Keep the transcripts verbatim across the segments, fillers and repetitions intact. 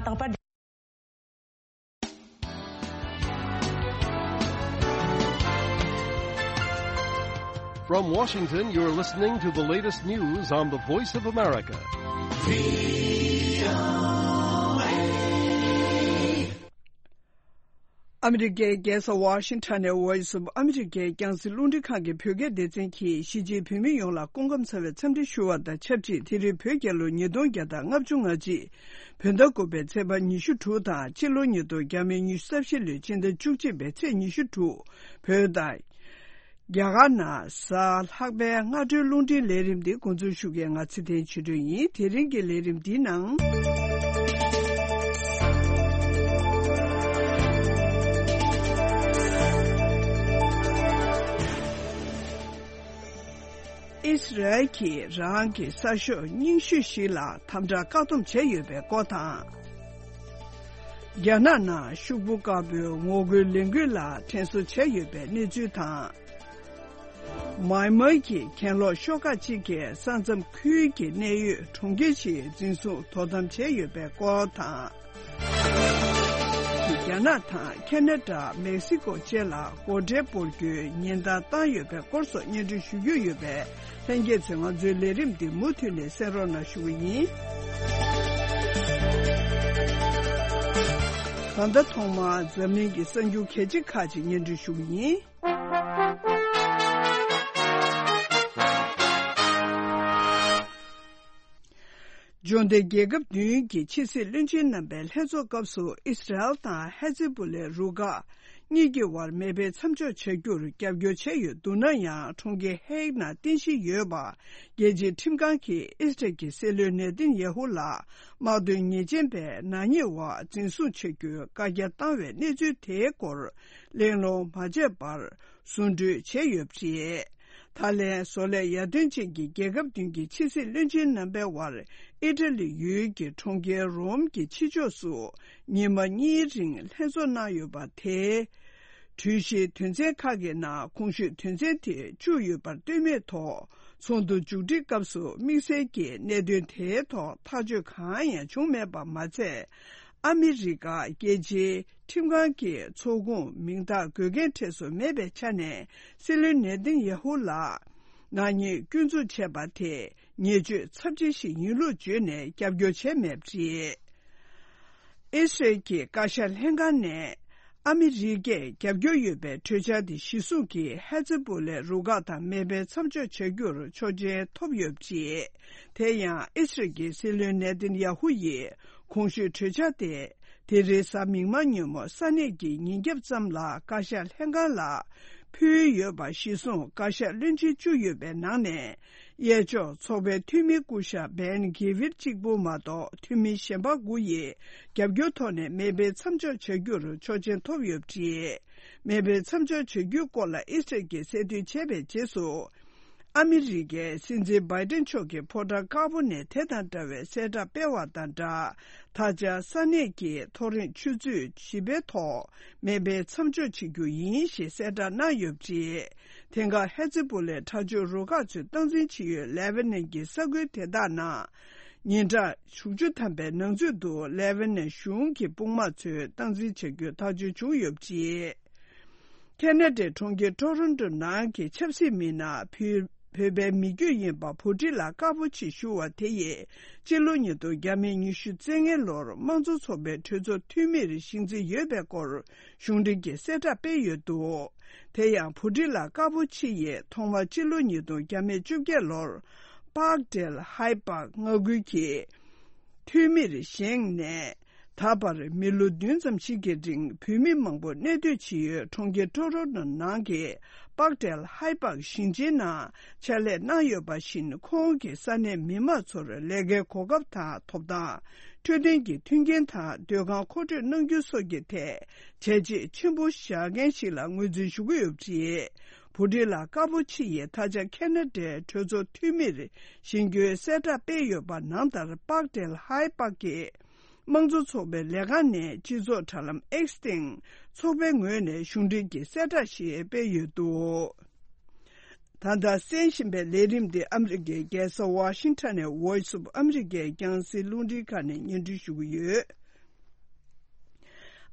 རྟག་པར། From Washington, you're listening to the latest news on the Voice of America. ཨ་མི་རི་ཀའི་རྒྱལ་ས་ཝ་ཤིང་ཊོན་ནས་Voice of America རྒྱང་སྲིང་རླུང་འཕྲིན་ཁང་གི་བོད་སྐད་སྡེ་ཚན་གྱིས་གཞིས་བྱེས་བོད་མི་ཡོངས་ལ་སྐུ་ཁམས་བཟང་བའི་འཚམས་འདྲི་ཞུ་བ་དང་ཆབས་ཅིག་དེ་རིང་བོད་རྒྱལ་ལོ་ཉིས་སྟོང་བརྒྱ་དང་ལྔ་བཅུ་ང་གཅིག་བོད་ཟླ་དགུ་པའི་ཚེས་པ་ཉི་ཤུ་དྲུག་དང་སྤྱི་ལོ་ཉིས་སྟོང་ཉི་ཤུ་རྩ་བཞི་ལོའི་སྤྱི་ཟླ་བཅུ་གཅིག་པའི་ཚེས་ཉི་ཤུ་དྲུག་བོད་དང་། རྒྱ་གར་ནང་གཟའ་ལྷག་པའི་སྔ་དྲོའི་རླུང་འཕྲིན་ལས་རིམ་འདི་འགོ་འཛུགས་ཞུ་མཁན་ང་ཚེ་བརྟན་ཆོས་སྒྲོན་ཡིན། དེ་རིང་གི་ལས་རིམ་འདིའི་ནང་། ཨིས་རལ་གྱིས་རང་གི་གསར་ཤོག་རྙིང་ཤོས་ཤིག་ལ་དམ་དྲག་བཀག་སྡོམ་བྱས་ཡོད་པའི་སྐོར་དང་། རྒྱ་ནག་ནང་ཤོག་བུ་དཀར་པོའི་ངོ་རྒོལ་ལས་འགུལ་ལ་དྲན་གསོ་བྱས་ཡོད་པའི་གནས་ཚུལ་དང་། མཱི་མཱི་གི་གྱེན་ལོག་ཤོག་ཁག་ཅིག་གིས་ས་མཚམས་ཁུལ་གྱི་གནད་ཡོད་གྲོང་ཁྱེར་ཞིག་འཛིན་བཟུང་དོ་དམ་བྱས་ཡོད་པའི་སྐོར་དང་། རྒྱ་ནག་དང་ཁེ་ན་ཌ། མེག་སི་ཀོ་བཅས་ལ་སྒོ་ཁྲལ་སྤོར་རྒྱུའི་ཉེན་བརྡ་བཏང་ཡོད་པའི་སྐོར་སོགས་སྙན་སྒྲོན་ཞུ་རྒྱུ་ཡོད་པས། ལྷན་རྒྱས་ཚོས་ང་ཚོའི་ལས་རིམ་འདི་མུ་མཐུད་ནས་གསན་རོགས་གནང་ཞུ་གི་ཡིན། ད་ལྟ་ཐོག་མར་འཛམ་གླིང་གི་གསར་འགྱུར་གལ་ཆེ་ཁག་ཅིག་སྙན་སྒྲོན་ཞུ་གི་ཡིན། འབྱོར་ལྡན་རྒྱལ་ཁབ་བདུན་གྱི་ཕྱི་སྲིད་བློན་ཆེན་རྣམ་པའི་ལྷན་ཚོགས་སྐབས་སུ་ཨིས་རལ་དང་ཧེ་ཛི་བུ་ལའི་རུ་ཁག་གཉིས་ཀྱི་དབར་མེ་འཕེན་མཚམས་འཇོག་བྱ་རྒྱུར་རྒྱབ་སྐྱོར་བྱས་ཡོད་འདུག་ན་ཡང་། གྲོང་ཁྱེར་ཧེག་ནང་རྟེན་གཞི་ཡོད་པ་རྒྱལ་སྤྱིའི་ཁྲིམས་ཁང་གིས་ཨིས་རལ་གྱི་སྲིད་བློན་ནེ་ཐན་ཡ་ཧུ་ལ་དམག་དོན་ཉེས་ཅན་པའི་ནག་ཉེས་འོག་འཛིན་བཟུང་བྱ་རྒྱུའི་བཀའ་རྒྱ་བཏང་བའི་གནས་ཚུལ་དེའི་སྐོར་གླེང་སློང་མ་བྱས་པར། ཟུང་འབྲེལ་བྱས་ཡོད་པ་རེད། ད་ལན་བཟོ་ལས་ཡར་ཐོན་ཅན་གྱི་རྒྱལ་ཁབ་བདུན་གྱི་ཕྱི་སྲིད་བློན་ཆེན་རྣམ་པའི་དབར་ཨི་ཊ་ལི་ཡུལ་གྱི་གྲོང་ཁྱེར་རོམ་གྱི་ཕྱི་ཕྱོགས་སུ་ཉི་མ་གཉིས་རིང་ལྷན་ཚོགས་གནང་ཡོད་པ་དེའི་གྲོས་གཞིའི་དོན་ཚན་ཁག་གི་ནང་གོང་ཞུས་དོན་ཚན་དེ་བཅུག་ཡོད་པར་ལྟོས་མེད་ཐོག་ཚོགས་འདུ་མཇུག་སྒྲིལ་སྐབས་སུ་དམིགས་བསལ་གྱི་གནད་དོན་དེའི་ཐོག་ཐག་གཅོད་གང་ཡང་བྱུང་མེད་པ་མ་ཚད། ཨ་མི་རི་ཀ་རྒྱལ་སྤྱིའི་ཁྲིམས་ཁང་གི་ཚོགས་ཁོངས་མིང་རྟགས་འགོད་མཁན་གྲས་སུ་མེད་པའི་ཆ་ནས། སྲིད་བློན་ནེ་ཐན་ཡ་ཧུ་ལ་ནག་ཉེས་སྐྱོན་འཛུགས་བྱས་པ་དེ་ཉེས་སྤྱོད་ཚབས་ཆེ་ཞིག་ཡིན་ལུགས་བརྗོད་ནས་རྒྱབ་སྐྱོར་བྱས་མེད་པ་རེད། ཨི་སི་རལ་གྱི་བཀའ་ཤག་ལྷན་ཁང་ནས་ཨ་མི་རི་ཀས་རྒྱབ་སྐྱོར་ཡོད་པའི་གྲོས་འཆར་དེ་གཞི་བཟུང་གིས་ཧེ་ཛི་བུ་ལའི་རུ་ཁག་དང་མེ་འཕེན་མཚམས་འཇོག་བྱ་རྒྱུར་ཆོག་མཆན་ཐོབ་ཡོད་པ་རེད། དེ་ཡང་ཨི་སི་རལ་གྱི་སྲིད་བློན་ནེ་ཐན་ཡ་ཧུ་ཡིས། གོང་ཞུས་གྲོས་འཆར་དེ། དེ་རིང་གཟའ་མིག་དམར་ཉིན་མོ་ས་གནས་ཀྱི་ཉིན་རྒྱབ་ཙམ་ལ་བཀའ་ཤག་ལྷན་ཁང་ལ་ཕུལ་ཡོད་པ་གཞིར་བཟུང་། བཀའ་ཤག་བློན་ཆེན་བཅུ་ཡོད་པའི་ནང་ནས། གཡས་ཕྱོགས་ཚོགས་པའི་འཐུས་མི་སྐུ་ཞབས་བན་གྷི་ཝིར་གཅིག་པུ་མ་གཏོགས། འཐུས་མི་གཞན་པ་དགུ་ཡིས་རྒྱབ་སྐྱོར་ཐོག་ནས་མེ་འཕེན་མཚམས་འཇོག་བྱ་རྒྱུར་ཆོག་མཆན་ཐོབ་ཡོད་པ་རེད། མེ་འཕེན་མཚམས་འཇོག་བྱ་རྒྱུའི་སྐོར་ལ་ཨི་སི་རལ་གྱིས་གསལ་སྟོན་བྱས་པའི་རྗེས་སུ། ཨ་མི་རི་ཀའི་སྲིད་འཛིན་བྷའི་ཏན་མཆོག་གིས་ཕོ་བྲང་དཀར་པོ་ནས་དེ་དང་འདྲ་བའི་གསལ་བསྒྲགས་སྤེལ་བ་དང་སྦྲགས། ད་ཆ་ས་གནས་ཀྱི་ཐོ་རེངས་ཆུ་ཚོད་བཞི་པའི་ཐོག་མེ་འཕེན་མཚམས་འཇོག་བྱེད་རྒྱུ་ཡིན་ཞེས་གསལ་བསྒྲགས་གནང་ཡོད་པ་རེད། དེང་སྐབས་ཧེ་ཛི་བུ་ལའི་དྲག་སྤྱོད་རུ་ཁག་ཚོས་སྟངས་འཛིན་བྱེད་ཡུལ་ལེ་བྷ་ནན་གྱི་ས་ཁུལ་དེ་དག་ནང་ཉིན་གྲངས་དྲུག་ཅུ་ཐམ་པའི་ནང་ཚུད་དུ་ལེ་བྷ་ནན་གཞུང་གི་དཔུང་དམག་ཚོས་སྟངས་འཛིན་བྱ་རྒྱུའི་ཐག་གཅོད་བྱུང་ཡོད་པ་རེད། ཁེ་ན་ཌའི་གྲོང་ཁྱེར་ཊོ་རོན་ཊོ་ནང་གི་ཆབ་སྲིད་མི་སྣ་བོད་བོད་པའི་མི་རྒྱུད་ཡིན་པ་བྷུ་ཊི་ལ་དཀར་པོ་ཆེ་ཞུ་བ་དེ་ཡིས་སྤྱི་ལོ་ཉིས་སྟོང་ཉི་ཤུ་རྩ་ལྔའི་ལོར་དམངས་གཙོ་ཚོགས་པའི་གྲོས་ཚོགས་འཐུས་མིར་བཞེངས་རྩིས་ཡོད་པའི་སྐོར་གཞུང་འབྲེལ་གྱི་གསལ་བསྒྲགས་སྤེལ་ཡོད་འདུག་དེ་ཡང་བྷུ་ཊི་ལ་དཀར་པོ་ཆེ་ཡིས་ཐོག་མར་སྤྱི་ལོ་ཉིས་སྟོང་བཅུ་བརྒྱད་ལོར་པཱག་ཏེལ་ཧའི་པཱག་མངའ་ཁུལ་གྱི་འཐུས་མིར་བཞེངས་ནས། ད་བར་མི་ལོ་བདུན་ཙམ་ཞིག་གི་རིང་བོད་མི་མང་པོ་གནས་སྡོད་བྱེད་ཡུལ་གྲོང་ཁྱེར་ཊོ་རོན་ཊོ་ནང་གི་པཱག་ཏེལ་ཧའི་པཱག་ཞིང་ཆེན་ནང་ཕྱག་ལས་གནང་ཡོད་པ་བཞིན། ཁོང་གིས་ས་གནས་མི་མང་ཚོར་ལས་ཀའི་གོ་སྐབས་དང་ཐོབ་ཐང་། འཕྲོད་བསྟེན་གྱི་མཐུན་རྐྱེན་དང་སྡོད་ཁང་མཁོ་སྤྲོད་གནང་རྒྱུ་སོགས་ཀྱི་ཐད་བྱས་རྗེས་ཆེན་པོ་བཞག་མཁན་ཞིག་ལ་ངོས་འཛིན་ཞུ་གི་ཡོད་པ་རེད། བྷུ་ཊི་ལ་དཀར་པོ་ཆེ་ཡིས་ད་ཆ་ཁེ་ན་ཌའི་གྲོས་ཚོགས་འཐུས་མིར་བཞེངས་རྒྱུའི་གསལ་བསྒྲགས་སྤེལ་ཡོད་པ་ནང་ལྟར། པཱག་ཏེལ་ཧའི་པཱག་གིས་དམངས་གཙོ་ཚོགས་པའི་ལས་ཁང་ནས་སྤྱི་ཚོགས་དྲ་ལམ་ཨེགས་སྟེང་ཚོགས་པའི་ངོས་ནས་གཞུང་འབྲེལ་གྱི་གསལ་བསྒྲགས་ཤིག་སྤེལ་ཡོད་འདུག་ད་ལྟ་གསན་བཞིན་པའི་ལས་རིམ་འདི་ཨ་མི་རི་ཀའི་རྒྱལ་ས་ཝ་ཤིང་ཊོན་ནས་Voice of America རྒྱང་སྲིང་རླུང་འཕྲིན་ཁང་ནས་སྙན་སྒྲོན་ཞུ་གི་ཡོད།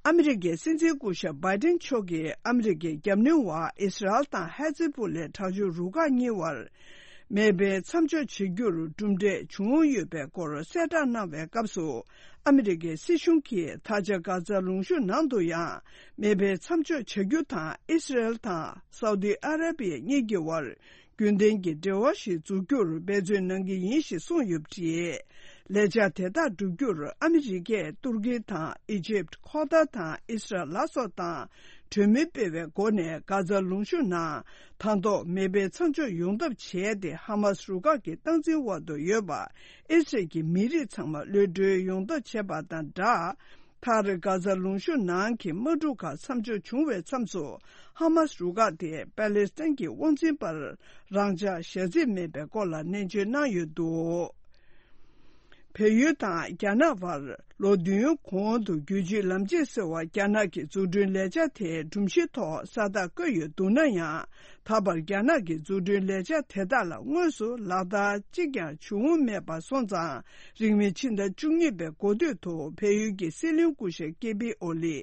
ཨ་མི་རི་ཀའི་སྲིད་འཛིན་སྐུ་ཞབས་བྷའི་ཏིན་མཆོག་གིས་ཨ་མི་རི་ཀའི་རྒྱབ་གནོན་འོག་ཨི་སི་རལ་དང་ཧེ་ཛི་བུ་ལའི་དྲག་སྤྱོད་རུ་ཁག་གཉིས་བར་མེ་འཕེན་མཚམས་འཇོག་བྱེད་རྒྱུར་གྲུབ་འབྲས་བྱུང་ཡོད་པའི་སྐོར་གསལ་བསྒྲགས་གནང་བའི་སྐབས་སུ། ཨ་མི་རི་ཀའི་སྲིད་གཞུང་གིས་ད་ཆ་གྷ་ཛ་ལུང་གཤོང་ནང་དུ་ཡང་མེ་འཕེན་མཚམས་འཇོག་བྱ་རྒྱུ་དང་ཨི་སི་རལ་དང་སའུ་ཏི་ཨ་ར་པི་ཡ་གཉིས་ཀྱི་བར་རྒྱུན་ལྡན་གྱི་འབྲེལ་བ་ཞིག་འཛུགས་རྒྱུར་འབད་བརྩོན་གནང་གི་ཡིན་ཞེས་གསུངས་ཡོད་པ་རེད། ལས་འཆར་དེ་དག་བསྒྲུབ་རྒྱུར་ཨ་མི་རི་ཀས་ཏུར་ཀི་དང་ཨི་ཇིབ། ཁོ་ཐར་དང་ཨི་སི་རལ་ལ་སོགས་དང་གྲོས་མོལ་སྤེལ་བའི་སྒོ་ནས་གྷ་ཛ་ལུང་གཤོང་ནང་དང་ཐོག་མེ་འཕེན་མཚམས་འཇོག་ཡོང་ཐབས་བྱས་ཏེ། ཧ་མ་སི་རུ་ཁག་གི་སྟངས་འཛིན་འོག་ཏུ་ཡོད་པ་ཨི་སི་རལ་གྱི་མི་རིགས་ཚང་མ་གློད་གྲོལ་ཡོང་ཐབས་བྱས་པ་དང་སྦྲགས། མཐར་གྷ་ཛ་ལུང་གཤོང་ནང་གི་དམག་འཁྲུག་ཁག་མཚམས་འཇོག་བྱུང་བའི་མཚམས་སུ། ཧ་མ་སི་རུ་ཁག་དེ་པ་ལེ་སི་ཐན་གྱི་དབང་འཛིན་པར་རང་འཇགས་བཞག་རྩིས་མེད་པའི་སྐོར་ལ་ནན་བརྗོད་གནང་ཡོད་འདུག་བལ་ཡུལ་དང་རྒྱ་ནག་བར་ལོ་བདུན་གོང་དུ་རྒྱུད་གཅིག་ལམ་གཅིག་ཟེར་བ་རྒྱ་ནག་གི་འཛུགས་སྐྲུན་ལས་འཆར་དེའི་སྒྲོམ་གཞིའི་ཐོག་ས་རྟགས་བཀོད་ཡོད་འདུག་ན་ཡང་། ད་བར་རྒྱ་ནག་གི་འཛུགས་སྐྲུན་ལས་འཆར་དེ་དག་ལ་དངོས་སུ་ལག་བསྟར་གཅིག་ཀྱང་བྱུང་མེད་པ་སོང་ཙང་། རིང་མིན་ཕྱི་ཟླ་བཅུ་གཉིས་པའི་འགོ་སྟོད་དུ་བལ་ཡུལ་གྱི་སྲིད་བློན་སྐུ་ཞབས་ཀེ་པི་ཨོ་ལི་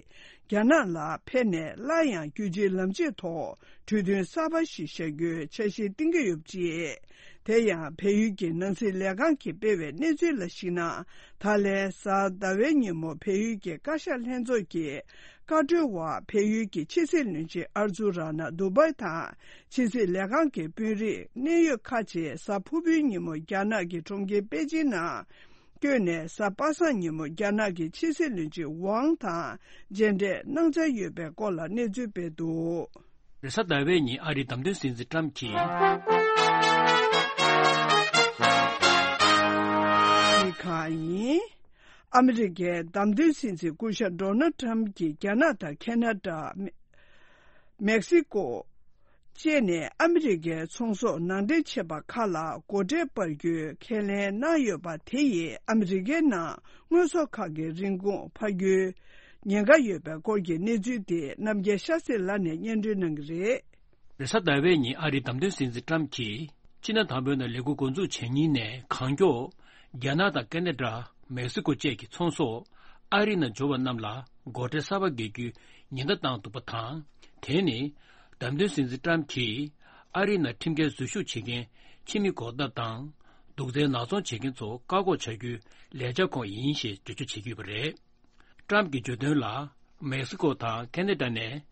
རྒྱ་ནག་ལ་ཕེབས་ནས། སླར་ཡང་རྒྱུད་གཅིག་ལམ་གཅིག་ཐོག་གྲོས་མཐུན་གསར་པ་ཞིག་བཞག་རྒྱུའི་འཆར་གཞི་བཏིང་གི་ཡོད་པ་རེད། དེ་ཡང་བལ་ཡུལ་གྱི་ནང་སྲིད་ལས་ཁང་གིས་སྤེལ་བའི་གནས་ཚུལ་ལ་གཞིགས་ན། ད་ལན་གཟའ་ཟླ་བའི་ཉིན་མོ་བལ་ཡུལ་གྱི་བཀའ་ཤག་ལྷན་ཚོགས་ཀྱི་བཀའ་འཁྲོལ་འོག་བལ་ཡུལ་གྱི་ཕྱི་སྲིད་བློན་ཆེན་ཨར་ཛུ་ར་ན་དུ་བྷའི་དང་ཕྱི་སྲིད་ལས་ཁང་གི་དཔོན་རིགས་གནད་ཡོད་ཁག་ཅིག་གཟའ་ཕུར་བུའི་ཉིན་མོ་རྒྱ་ནག་གི་གྲོང་ཁྱེར་པེ་ཅིན་ནང་བསྐྱོད་ནས། གཟའ་པ་སངས་ཉིན་མོ་རྒྱ་ནག་གི་ཕྱི་སྲིད་བློན་ཆེན་ཝང་དང་མཇལ་འཕྲད་གནང་འཆར་ཡོད་པའི་སྐོར་ལ་གནས་ཚུལ་སྤེལ་འདུག་རེས་གཟའ་ཟླ་བའི་ཉིན་ཨ་རིའི་བདམས་ཐོན་སྲིད་འཛིན་ཊམ་གྱིས། གཉིས་ཁག་ཡིན། ཨ་མི་རི་ཀའི་བདམས་ཐོན་སྲིད་འཛིན་སྐུ་ཞབས་ཌོ་ནལ་ཊམ་གྱིས་རྒྱ་ནག་དང་ཁེ་ན་ཌ། མེག་སི་ཀོ་བཅས་ནས་ཨ་མི་རི་ཀའི་ཚོང་ཟོག་ནང་འདྲེན་བྱས་པ་ཁག་ལ་སྒོ་ཁྲལ་སྤར་རྒྱུའི་ཁས་ལེན་གནང་ཡོད་པ་དེ་ཡིས་ཨ་མི་རི་ཀའི་ནང་དངོས་ཟོག་ཁག་གི་རིན་གོང་འཕར་རྒྱུའི་ཉེན་ཁ་ཡོད་པའི་སྐོར་གྱི་གནས་ཚུལ་དེ་རྣམ་རྒྱལ་ཤཱ་སྟྲི་ལགས་ནས་སྙན་སྒྲོན་གནང་གི་རེད། རེས་གཟའ་ཟླ་བའི་ཉིན་ཨ་རིའི་བདམས་ཐོན་སྲིད་འཛིན་ཊམ་གྱིས་སྤྱི་ཟླ་དང་པོའི་ནང་ལས་འཁུར་འགོ་འཛུགས་བྱས་ཉིན་ནས་གང་མགྱོགས་རྒྱ་ནག་དང་ཁེ་ན་ཌ། མེག་སི་ཀོ་བཅས་ཀྱི་ཚོང་ཟོག་ཨ་རི་ནང་འབྱོར་བ་རྣམས་ལ་སྒོ་ཁྲལ་གསར་པ་འགེལ་རྒྱུའི་ཉེན་བརྡ་བཏང་འདུག་པ་དང་། དེ་ནི་བདམས་ཐོན་སྲིད་འཛིན་ཊམ་གྱིས་ཨ་རི་ནང་ཁྲིམས་འགལ་འཛུལ་ཞུགས་བྱེད་མཁན་ཕྱི་མི་འགོག་ཐབས་དང་། དུག་རྫས་ནག་ཚོང་བྱེད་མཁན་ཚོ་བཀག་འགོག་བྱ་རྒྱུའི་ལས་འཆར་ཁོངས་ཡིན་ཞེས་འགྲེལ་བརྗོད་བྱེད་ཀྱི་ཡོད་པ་རེད། ཊམ་གྱིས་བརྗོད་དོན་ལ། མེག་སི་ཀོ་དང་ཁེ་ན་ཌ་ནས་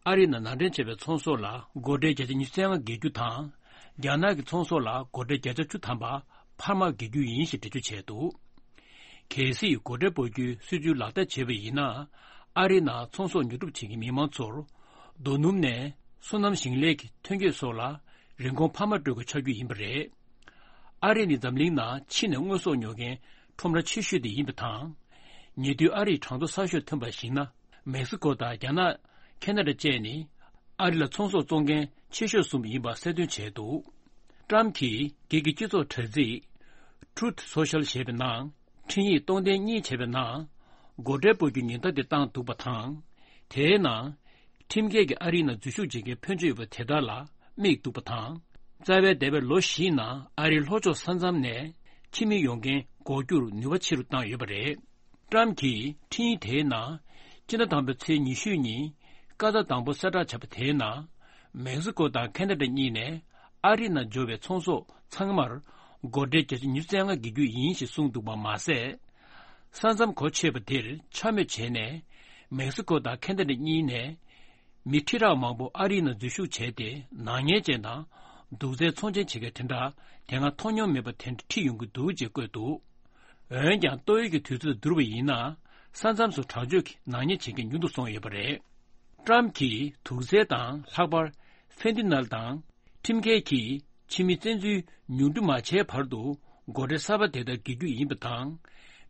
ཨ་རི་ནང་ནང་འདྲེན་བྱས་པའི་ཚོང་ཟོག་ལ་སྒོ་ཁྲལ་བརྒྱ་ཆ་ཉི་ཤུ་རྩ་ལྔ་འགེལ་རྒྱུ་དང་། རྒྱ་ནག་གི་ཚོང་ཟོག་ལ་སྒོ་ཁྲལ་བརྒྱ་ཆ་བཅུ་ཐམ་པ་འཕར་མ་འགེལ་རྒྱུ་ཡིན་ཞེས་འགྲེལ་བརྗོད་བྱས་འདུག་གལ་སྲིད་སྒོ་ཁྲལ་སྤར་རྒྱུའི་སྲིད་ཇུས་ལག་བསྟར་བྱས་པ་ཡིན་ན། ཨ་རི་ནང་ཚོང་ཟོག་ཉོ་སྒྲུབ་བྱེད་མཁན་མི་མང་ཚོར་རྡོ་སྣུམ་ནས་སོ་ནམ་ཞིང་ལས་ཀྱི་ཐོན་སྐྱེད་སོགས་ལ་རིན་གོང་འཕར་མ་སྤྲོད་དགོས་ཆགས་རྒྱུ་ཡིན་པ་རེད། ཨ་རི་ནི་འཛམ་གླིང་ནང་ཕྱི་ནས་དངོས་ཟོག་ཉོ་མཁན་ཁྲོམ་ར་ཆེ་ཤོས་དེ་ཡིན་པ་དང་། ཉེ་དུས་ཨ་རིའི་གྲངས་ཐོ་གསར་ཤོས་ཐོན་པར་གཞིགས་ན། མེག་སི་ཀོ་དང་རྒྱ་ནག་ཁེ་ན་ཌ་བཅས་ནི་ཨ་རི་ལ་ཚོང་ཟོག་བཙོང་མཁན་ཆེ་ཤོས་གསུམ་ཡིན་པ་གསལ་སྟོན་བྱས་འདུག་ཊམ་གྱིས་སྒེར་གྱི་སྤྱི་ཚོགས་དྲ་ཚིགས་Truth Social ཞེས་པའི་ནང་འཕྲིན་ཡིག་གཏོང་གཏན་གཉིས་བྱས་པའི་ནང་སྒོ་ཁྲལ་སྤར་རྒྱུའི་ཉེན་བརྡ་དེ་བཏང་འདུག་པ་དང་། དེའི་ནང་ཁྲིམས་འགལ་གྱིས་ཨ་རིའི་ནང་འཛུལ་ཞུགས་བྱེད་མཁན་ཕོན་ཆེ་ཡོད་པ་དེ་དག་ལ་དམིགས་འདུག་པ་དང་། རྩ་བའི་འདས་པའི་ལོ་བཞིའི་ནང་ཨ་རིའི་ལྷོ་ཕྱོགས་ས་མཚམས་ནས་ཕྱི་མི་ཡོང་མཁན་འགོག་རྒྱུར་ནུས་པ་ཆེ་རུ་བཏང་ཡོད་པ་རེད། ཊམ་གྱིས་འཕྲིན་ཡིག་དེའི་ནང་སྤྱི་ཟླ་དང་པོའི་ཚེས་ཉི་ཤུ་ཉིན་བཀའ་རྩ་དང་པོ་གསལ་བསྒྲགས་བྱས་པ་དེའི་ནང་མེག་སི་ཀོ་དང་ཁེ་ན་ཌ་གཉིས་ནས་ཨ་རི་ནང་འབྱོར་བའི་ཚོང་ཟོག་ཚང་མར་སྒོ་ཁྲལ་བརྒྱ་ཆ་ཉི་ཤུ་རྩ་ལྔ་འགེལ་རྒྱུ་ཡིན་ཞེས་གསུངས་འདུག་པ་མ་ཟད། ས་མཚམས་སྒོ་ཕྱེ་བ་དེར་འཕྱ་སྨོད་བྱས་ནས་མེག་སི་ཀོ་དང་ཁེ་ན་ཌ་གཉིས་ནས་མི་ཁྲི་ཕྲག་མང་པོ་ཨ་རིའི་ནང་འཛུལ་ཞུགས་བྱས་ཏེ་ནག་ཉེས་ཅན་དང་དུག་རྫས་ཚོང་ཅན་བྱེད་མཁན་དེ་འདྲ་དེ་སྔ་མཐོང་མྱོང་མེད་པ་དེ་འདྲ་ཁྲིད་ཡོང་གི་འདུག་ཅེས་བཀོད་འདུག་འོན་ཀྱང་ཏོག་དབྱིབས་ཀྱི་དུས་ཚོད་བསྡུར་བ་ཡིན་ན། ས་མཚམས་སུ་དྲག་སྤྱོད་ཀྱི་ནག་ཉེས་བྱེད་མཁན་ཉུང་དུ་སོང་ཡོད་པ་རེད། ཊམ་གྱིས་དུག་རྫས་དང་ལྷག་པར་ཕེན་ཏི་ནལ་དང་ཁྲིམས་འགལ་གྱིས་ཕྱི་མི་བཙན་འཛུལ་ཉུང་འཕྲི་མ་བྱས་བར་དུ་སྒོ་ཁྲལ་གསར་པ་དེ་དག་འགེལ་རྒྱུ་ཡིན་པ་དང་།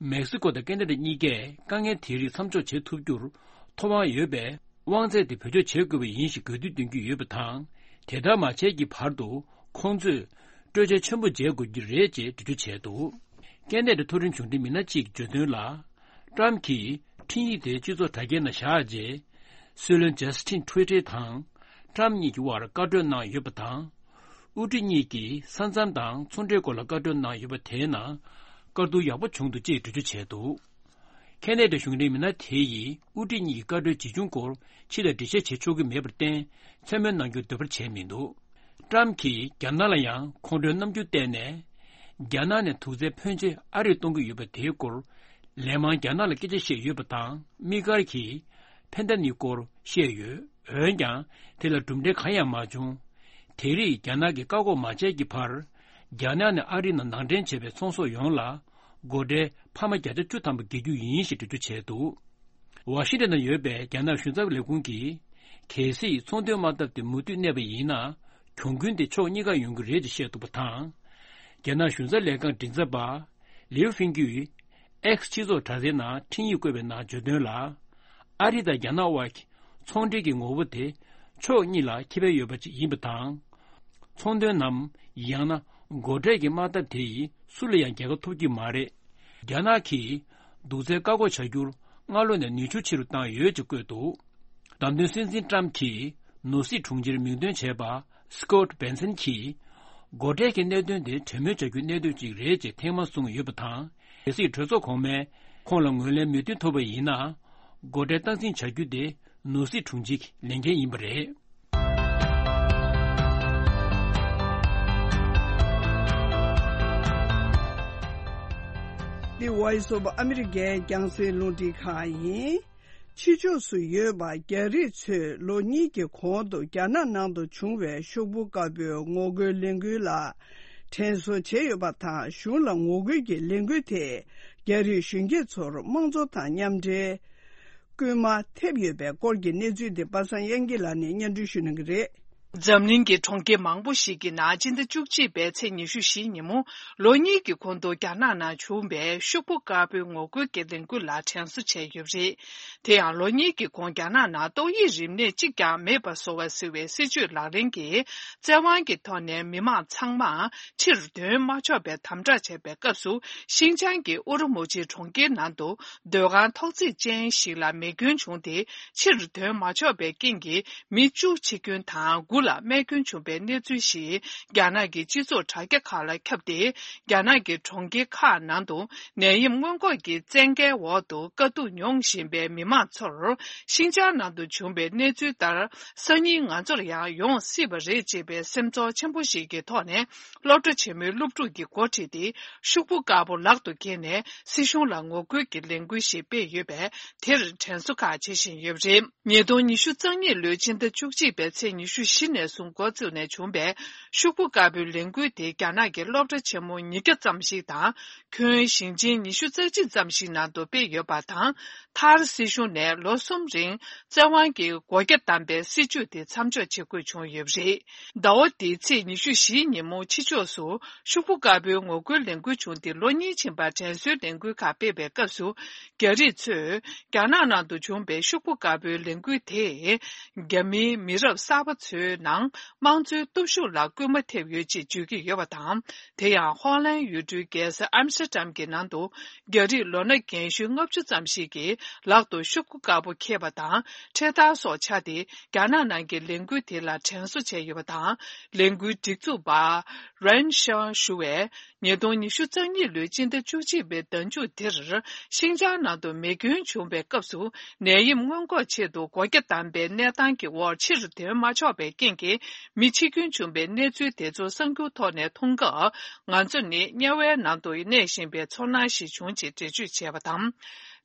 མེག་སི་ཀོ་དང་ཁེ་ན་ཌ་གཉིས་ཀས་དཀའ་ངལ་དེ་རིགས་མཚམས་འཇོག་བྱེད་ཐུབ་རྒྱུར་ཐོབ་དབང་ཡོད་པས། དབང་ཚད་དེ་བེད་སྤྱོད་བྱེད་དགོས་པ་ཡིན་ཞེས་དགོས་འདུན་འདོན་གྱི་ཡོད་པ་དང་། དེ་ལྟར་མ་བྱས་ཀྱི་བར་དུ་ཁོང་ཚོས་སྤྲོད་ཆ་ཆེན་པོ་འཇལ་དགོས་ཀྱི་རེད་ཅེས་འགྲེལ་བརྗོད་བྱས་འདུག་ཁེ་ན་ཌའི་མཐོ་རིམ་གཞུང་འབྲེལ་མི་སྣ་གཅིག་གིས་བརྗོད་དོན་ལ། ཊམ་གྱིས་འཕྲིན་ཡིག་དེ་སྤྱི་ཚོགས་དྲ་རྒྱའི་ནང་བཞག་རྗེས། སྲིད་བློན་ཇ་སི་ཊིན་ཁྲུ་ཌོ་དང་ཊམ་གཉིས་ཀྱི་དབར་བཀའ་གྲོས་གནང་ཡོད་པ་དང་། དབུ་ཁྲིད་གཉིས་ཀྱིས་ས་མཚམས་དང་ཚོང་འབྲེལ་སྐོར་ལ་བཀའ་གྲོས་གནང་ཡོད་པ་དེའི་ནང་བཀའ་བསྡུར་ཡག་པོ་བྱུང་འདུག་ཅེས་འགྲེལ་བརྗོད་བྱས་འདུག་ཁེ་ན་ཌ་གཞུང་འབྲེལ་མི་སྣ་དེ་ཡིས་དབུ་ཁྲིད་གཉིས་ཀྱི་བཀའ་འཁྲོལ་ཇི་བྱུང་སྐོར་ཕྱི་ལ་འགྲེལ་བཤད་བྱེད་ཆོག་གི་མེད་པར་བརྟེན། མཚན་སྨོད་གནང་རྒྱུར་འདོད་པ་བྱས་མི་འདུག་ཀྲམ་གྱིས་རྒྱ་ནག་ལ་ཡང་ཁོང་ཁྲོའི་རྣམ་འགྱུར་བསྟན་ནས། རྒྱ་ནག་ནས་དུག་རྫས་ཕོན་ཆེ་ཨ་རིར་གཏོང་གི་ཡོད་པ་དེའི་སྐོར། ལན་མང་རྒྱ་ནག་ལ་སྐད་ཆ་བཤད་ཡོད་པ་དང་། དམིགས་བཀར་གྱིས་ཕན་ཐ་ནིའི་སྐོར་བཤད་ཡོད། འོན་ཀྱང་། དེ་ལ་གྲུབ་འབྲས་གང་ཡང་མ་བྱུང་། དེ་རིང་རྒྱ་ནག་གིས་བཀག་འགོག་མ་བྱས་ཀྱི་བར། རྒྱ་ནག་ནས་ཨ་རི་ནང་ནང་འདྲེན་བྱས་པའི་ཚོང་ཟོག་ཡོངས་ལ། སྒོ་ཁྲལ་འཕར་མ་བརྒྱ་ཆ་བཅུ་ཐམ་པ་འགེལ་རྒྱུ་ཡིན་ཞེས་འགྲེལ་བརྗོད་བྱས་འདུག་ཝ་ཤིང་ཏན་ན་ཡོད་པའི་རྒྱ་ནག་ཞུན་ཙའུ་ལས་ཁུངས་ཀྱིས། གལ་སྲིད་ཚོང་དོན་དམག་འཐབ་དེ་མུ་མཐུད་གནས་པ་ཡིན་ན། གྱོང་གུན་དེ་ཕྱོགས་གཉིས་ཀར་ཡོང་གི་རེད་ཅེས་བཤད་འདུག་པ་དང་། རྒྱ་ནག་ཞུན་ཙའུ་ལས་ཁང་མགྲིན་ཚབ་པ། ལིའུ་ཧྥིང་ཀུས། X་སྤྱི་ཚོགས་དྲ་ཚན་ནང་འཕྲིན་ཡིག་བཀོད་པའི་ནང་བརྗོད་དོན་ལ། ཨ་རི་དང་རྒྱ་ནག་དབར་གྱི་ཚོང་འབྲེལ་གྱི་ངོ་བོ་དེ་ཕྱོགས་གཉིས་ལ་ཁེ་ཕན་ཡོད་པ་ཅིག་ཡིན་པ་དང་། ཚོང་དོན་ནམ་ཡང་ན་སྒོ་ཁྲལ་གྱི་དམག་འཐབ་དེ་ཡིས་སུ་ལ་ཡང་རྒྱལ་ཁ་ཐོབ་ཀྱི་མ་རེད། རྒྱ་ནག་གིས་དུག་རྫས་བཀག་འགོག་བྱ་རྒྱུར་སྔ་ལོ་ནས་ནུས་ཤུགས་ཆེ་རུ་བཏང་ཡོད་ཅེས་བཀོད་འདུག་བདམས་ཐོན་སྲིད་འཛིན་ཀྲམ་གྱིས་ནོར་སྲིད་དྲུང་ཆེར་མིང་འདོན་བྱས་པ། Scott Bessent་གྱིས། སྒོ་ཁྲལ་གྱི་གནད་དོན་དེ་གྲོས་མོལ་བྱ་རྒྱུའི་གནད་དོན་ཅིག་རེད་ཅེས་ཐེངས་མང་གསུངས་ཡོད་པ་དང་། གལ་སྲིད་གྲོས་ཚོགས་གོང་མས་ཁོང་ལ་ངོས་ལེན་མོས་མཐུན་ཐོབ་པ་ཡིན་ན། སྒོ་ཁྲལ་སྟངས་འཛིན་བྱ་རྒྱུ་དེ་ནོར་སྲིད་དྲུང་ཆེ་གི་ལས་འགན་ཡིན་པ་རེད། འདི་Voice of America་རྒྱང་སྲིང་རླུང་འཕྲིན་ཁང་ཡིན། ཕྱི་ཕྱོགས་སུ་ཡོད་པ་རྒྱ་རིགས་ཚོས་ལོ་གཉིས་ཀྱི་གོང་དུ་རྒྱ་ནག་ནང་དུ་བྱུང་བའི་ཤོག་བུ་དཀར་པོའི་ངོ་རྒོལ་ལས་འགུལ་ལ་དྲན་གསོ་བྱས་ཡོད་པ་དང་། གཞུང་ལ་ངོ་རྒོལ་གྱི་ལས་འགུལ་དེས་རྒྱ་རིགས་གཞོན་སྐྱེས་ཚོར་དམངས་གཙོ་དང་མཉམ་འབྲེལ་སྐུལ་མ་ཐེབས་ཡོད་པའི་སྐོར་གྱི་གནས་ཚུལ་དེ་པ་སངས་དབྱངས་སྐྱིད་ལགས་ནས་སྙན་སྒྲོན་ཞུ་གནང་གི་རེད། འཛམ་གླིང་གི་གྲོང་ཁྱེར་མང་པོ་ཞིག་གི་ནང་སྤྱི་ཟླ་བཅུ་གཅིག་པའི་ཚེས་ཉི་ཤུ་བཞི་ཉིན་མོ། ལོ་གཉིས་ཀྱི་གོང་དུ་རྒྱ་ནག་ནང་བྱུང་བའི་ཤོག་བུ་དཀར་པོའི་ངོ་རྒོལ་གྱི་ལས་འགུལ་ལ་དྲན་གསོ་བྱས་ཡོད་པ་རེད། དེ་ཡང་ལོ་གཉིས་ཀྱི་གོང་རྒྱ་ནག་ནང་ཏོག་དབྱིབས་རིམས་ནད་གཅིག་ཀྱང་མེད་པ་བཟོ་བ་ཟེར་བའི་སྲིད་ཇུས་ལག་ལེན་གྱིས་བཙན་དབང་གི་ཐོག་ནས་མི་མང་ཚང་མ་ཕྱིར་ཐོན་མ་ཆོག་པའི་དམ་དྲག་བྱས་པའི་སྐབས་སུ། ཤིན་ཅང་གི་ཨུ་རུ་མུ་ཆི་གྲོང་ཁྱེར་ནང་དུ་སྡོད་ཁང་ཐོག་བརྩེགས་ཅན་ཞིག་ལ་མེ་སྐྱོན་བྱུང་སྟེ། ཕྱིར་ཐོན་མ་ཆོག་པའི་རྐྱེན་གྱིས་མི་བཅུ་འཆི་སྐྱོན་དང་དགུ་ལ་རྨས་སྐྱོན་བྱུང་བའི་གནས་ཚུལ་ཞིག་རྒྱ་ནག་གི་སྤྱི་ཚོགས་དྲ་རྒྱ་ཁག་ལ་ཁྱབ་སྟེ། རྒྱ་ནག་གི་གྲོང་ཁྱེར་ཁག་ནང་དུ་ནད་ཡམས་སྔོན་འགོག་གི་བཙན་བཀའི་འོག་ཏུ་དཀའ་སྡུག་མྱོང་བཞིན་པའི་མི་མང་ཚོར། ཤིན་ཅང་ནང་དུ་བྱུང་བའི་གནས་ཚུལ་ལྟར། སང་ཉིན་ང་ཚོར་ཡང་ཡོང་སྲིད་པ་རེད་ཅེས་པའི་སེམས་ཚོར་ཆེན་པོ་ཞིག་གི་ཐོག་ནས། སློབ་གྲྭ་ཆེན་མོའི་སློབ་ཕྲུག་གིས་འགོ་ཁྲིད་དེ། ཤོག་བུ་དཀར་པོ་ལག་ཏུ་འཁྱེར་ནས། སྲིད་གཞུང་ལ་ངོ་རྒོལ་གྱི་ལས་འགུལ་ཞིག་སྤེལ་ཡོད་པས། དེར་དྲན་གསོ་ཁག་བྱེད་བཞིན་ཡོད་པ་རེད། ཉིས་སྟོང་ཉི་ཤུ་རྩ་གཉིས་ལོའི་ཕྱི་ཟླ་བཅུ་གཅིག་པའི་ཚེས་ཉི་ཤུ་བཞི་ནས་བཟུང་འགོ་བཙུགས་ནས་བྱུང་བའི་ཤོག་བུ་དཀར་པོའི་ལས་འགུལ་དེ། རྒྱ་ནག་གི་སློབ་གྲྭ་ཆེན་མོ་ཉིས་བརྒྱ་ཙམ་ཞིག་དང་། ཁྱོན་ཞིང་ཆེན་ཉི་ཤུ་རྩ་གཅིག་ཙམ་ཞིག་ནང་དུ་སྤེལ་ཡོད་པ་དང་། མཐར་སྲིད་གཞུང་ནས་ལོ་གསུམ་རིང་བཙན་དབང་གིས་སྒོ་རྒྱ་བསྡམས་པའི་སྲིད་ཇུས་དེ་མཚམས་འཇོག་བྱེད་དགོས་བྱུང་ཡོད་པ་རེད། ཟླ་བ་འདིའི་ཚེས་ཉི་ཤུ་བཞིའི་ཉིན་མོ་ཕྱི་ཕྱོགས་སུ་ཤོག་བུ་དཀར་པོའི་ངོ་རྒོལ་ལས་འགུལ་བྱུང་སྟེ། ལོ་གཉིས་ཕྱིན་པར་དྲན་གསོའི་ལས་འགུལ་ཁག་སྤེལ་བའི་སྐབས་སུ། རྒྱ་རིགས་ཚོས་རྒྱ་ནག་ནང་དུ་བྱུང་བའི་ཤོག་བུ་དཀར་པོའི་ལས་འགུལ་དེས་རྒྱ་མིའི་མི་རབས་གསར་པ་ཚོའི་ནང་དམངས་གཙོའི་སྟོབས་ཤུགས་ལ་སྐུལ་མ་ཐེབས་ཡོད་ཅེས་བརྗོད་ཀྱི་ཡོད་པ་དང་། དེ་ཡང་ཧོ་ལན་ཡུལ་གྲུའི་རྒྱལ་ས་ཨམ་སི་ཏྲ་ཌམ་གྱི་ནང་དུ། རྒྱ་རིགས་ལོ་ན་རྒན་གཞོན་ལྔ་བཅུ་ཙམ་ཞིག་གིས་ལག་ཏུ་ཤོག་གུ་དཀར་པོ་འཁྱེར་བ་དང་འཕྲེད་དར་སོགས་འཕྱར་ཏེ། རྒྱ་ནག་ནང་གི་ལས་འགུལ་དེ་ལ་དྲན་གསོ་བྱས་ཡོད་པ་དང་། ལས་འགུལ་སྒྲིག་འཛུགས་པ་རན་ཤང་ཞུ་བས། ཉིས་སྟོང་ཉི་ཤུ་རྩ་གཉིས་ལོའི་སྤྱི་ཟླ་བཅུ་གཅིག་པའི་ཟླ་མཇུག་དེར། ཤིན་ཅང་ནང་དུ་མེ་སྐྱོན་བྱུང་བའི་སྐབས་སུ། ནད་ཡམས་སྔོན་འགོག་ཆེད་དུ་སྒོ་རྒྱ་བསྡམས་པའི་གནས་སྟངས་ཀྱི་འོག་ཕྱིར་ཐོན་མ་ཆོག་པའི་རྐྱེན་གྱིས། མི་འཆི་སྐྱོན་བྱུང་བའི་གནས་ཚུལ་དེ་ཚོ་གསར་འགྱུར་ཐོག་ནས་མཐོང་སྐབས། ང་ཚོ་ནི་དམྱལ་བའི་ནང་དུ་གནས་བཞིན་པའི་ཚོར་སྣང་ཞིག་བྱུང་ཅེས་འགྲེལ་བརྗོད་བྱས་པ་དང་།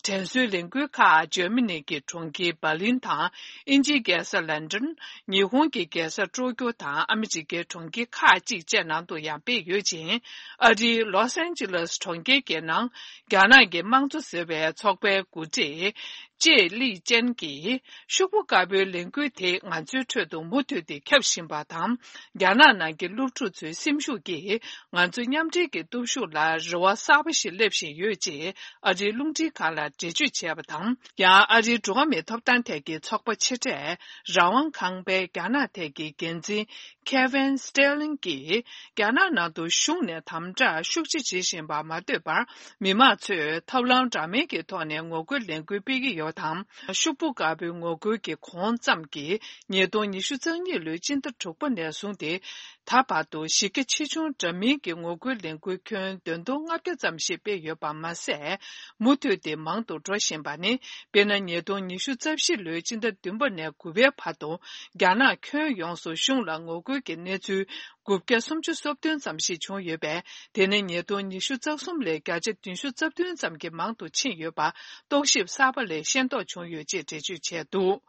དྲན་གསོའི་ལས་འགུལ་ཁག་འཇར་མ་ནི་གི་གྲོང་ཁྱེར་འབར་ལིན་དང་། དབྱིན་ཇིའི་རྒྱལ་ས་ལན་ཀྲན། ཉི་ཧོང་གི་རྒྱལ་ས་ཀྲོ་ཀྱོ་དང་ཨ་མི་རི་ཀའི་གྲོང་ཁྱེར་ཁག་ཅིག་བཅས་ནང་དུ་ཡང་སྤེལ་ཡོད་ཅིང་། ཨ་རིའི་ལོས་ཨན་ཇི་ལེས་གྲོང་ཁྱེར་གྱི་ནང་། རྒྱ་ནག་གི་དམངས་གཙོ་ཟེར་བའི་ཚོགས་པའི་འགོ་ཁྲིད། ཅེ་ལི་ཅན་གྱིས། ཤོག་བུ་དཀར་པོའི་ལས་འགུལ་དེ་ང་ཚོའི་ཁྲོད་དུ་མུ་མཐུད་དེ་ཁྱབ་བཞིན་པ་དང་། རྒྱ་ནག་ནང་གི་སློབ་ཕྲུག་ཚོའི་སེམས་ཤུགས་ཀྱིས། ང་ཚོ་མཉམ་འབྲེལ་གྱི་སྟོབས་ཤུགས་ལ་རེ་བ་གསར་པ་ཞིག་སླེབས་བཞིན་ཡོད་ཅེས། ཨ་རིའི་རླུང་འཕྲིན་ཁང་ལ་འགྲེལ་བརྗོད་བྱས་པ་དང་། ཡང་ཨ་རིའི་འགྲོ་བ་མིའི་ཐོབ་ཐང་ཐད་ཀྱི་ཚོགས་པ་ཆེ་གྲས་རང་དབང་ཁང་པའི་རྒྱ་ནག་ཐད་ཀྱི་འགན་འཛིན། Kevin Sterling་གྱིས། རྒྱ་ནག་ནང་དུ་གཞུང་ནས་དམ་དྲག་ཤུགས་ཆེ་བྱེད་བཞིན་པ་མ་ལྟོས་པར། མི་མང་ཚོས་ཐབས་ལམ་འདྲ་མིན་གྱི་ཐོག་ནས་ངོ་རྒོལ་ལས་འགུལ་སྤེལ་གྱི་ཡོད་པ་དང་། ཤོག་བུ་དཀར་པོའི་ངོ་རྒོལ་གྱི་གོང་ཙམ་གྱིས། ཉིས་སྟོང་ཉི་ཤུ་རྩ་གཉིས་ལོའི་སྤྱི་ཟླ་དྲུག་པ་ནས་བཟུང་སྟེ། ད་བར་དུ་གཞི་རྒྱ་ཆེ་ཆུང་འདྲ་མིན་གྱི་ངོ་རྒོལ་ལས་འགུལ་ཁྱོན་བདུན་སྟོང་ལྔ་བརྒྱ་ཙམ་ཞིག་སྤེལ་ཡོད་པ་མ་ཟད། མུ་མཐུད་དེ་མང་དུ་འགྲོ་བཞིན་པ་ནི། དཔེར་ན། ཉིས་སྟོང་ཉི་ཤུ་རྩ་བཞི་ལོའི་སྤྱི་ཟླ་བདུན་པ་ནས་དགུ་པའི་བར་དུ། རྒྱ་ནག་ཁྱོན་ཡོངས་སུ་གཞུང་ལ་ངོ་རྒོལ་གྱི་གནས་ཚུལ་དགུ་བརྒྱ་སུམ་ཅུ་སོ་བདུན་ཙམ་ཞིག་བྱུང་ཡོད་པས། དེ་ནི་ཉིས་སྟོང་ཉི་ཤུ་རྩ་གསུམ་ལས་བརྒྱ་ཆ་བདུན་ཅུ་རྩ་བདུན་ཙམ་གྱིས་མང་དུ་ཕྱིན་ཡོད་པ། རྟོག་ཞིབ་གསར་པ་ལས་ཤེས་རྟོགས་བྱུང་ཡོད་ཅེས་འགྲེལ་བརྗོད་བྱས་འདུག་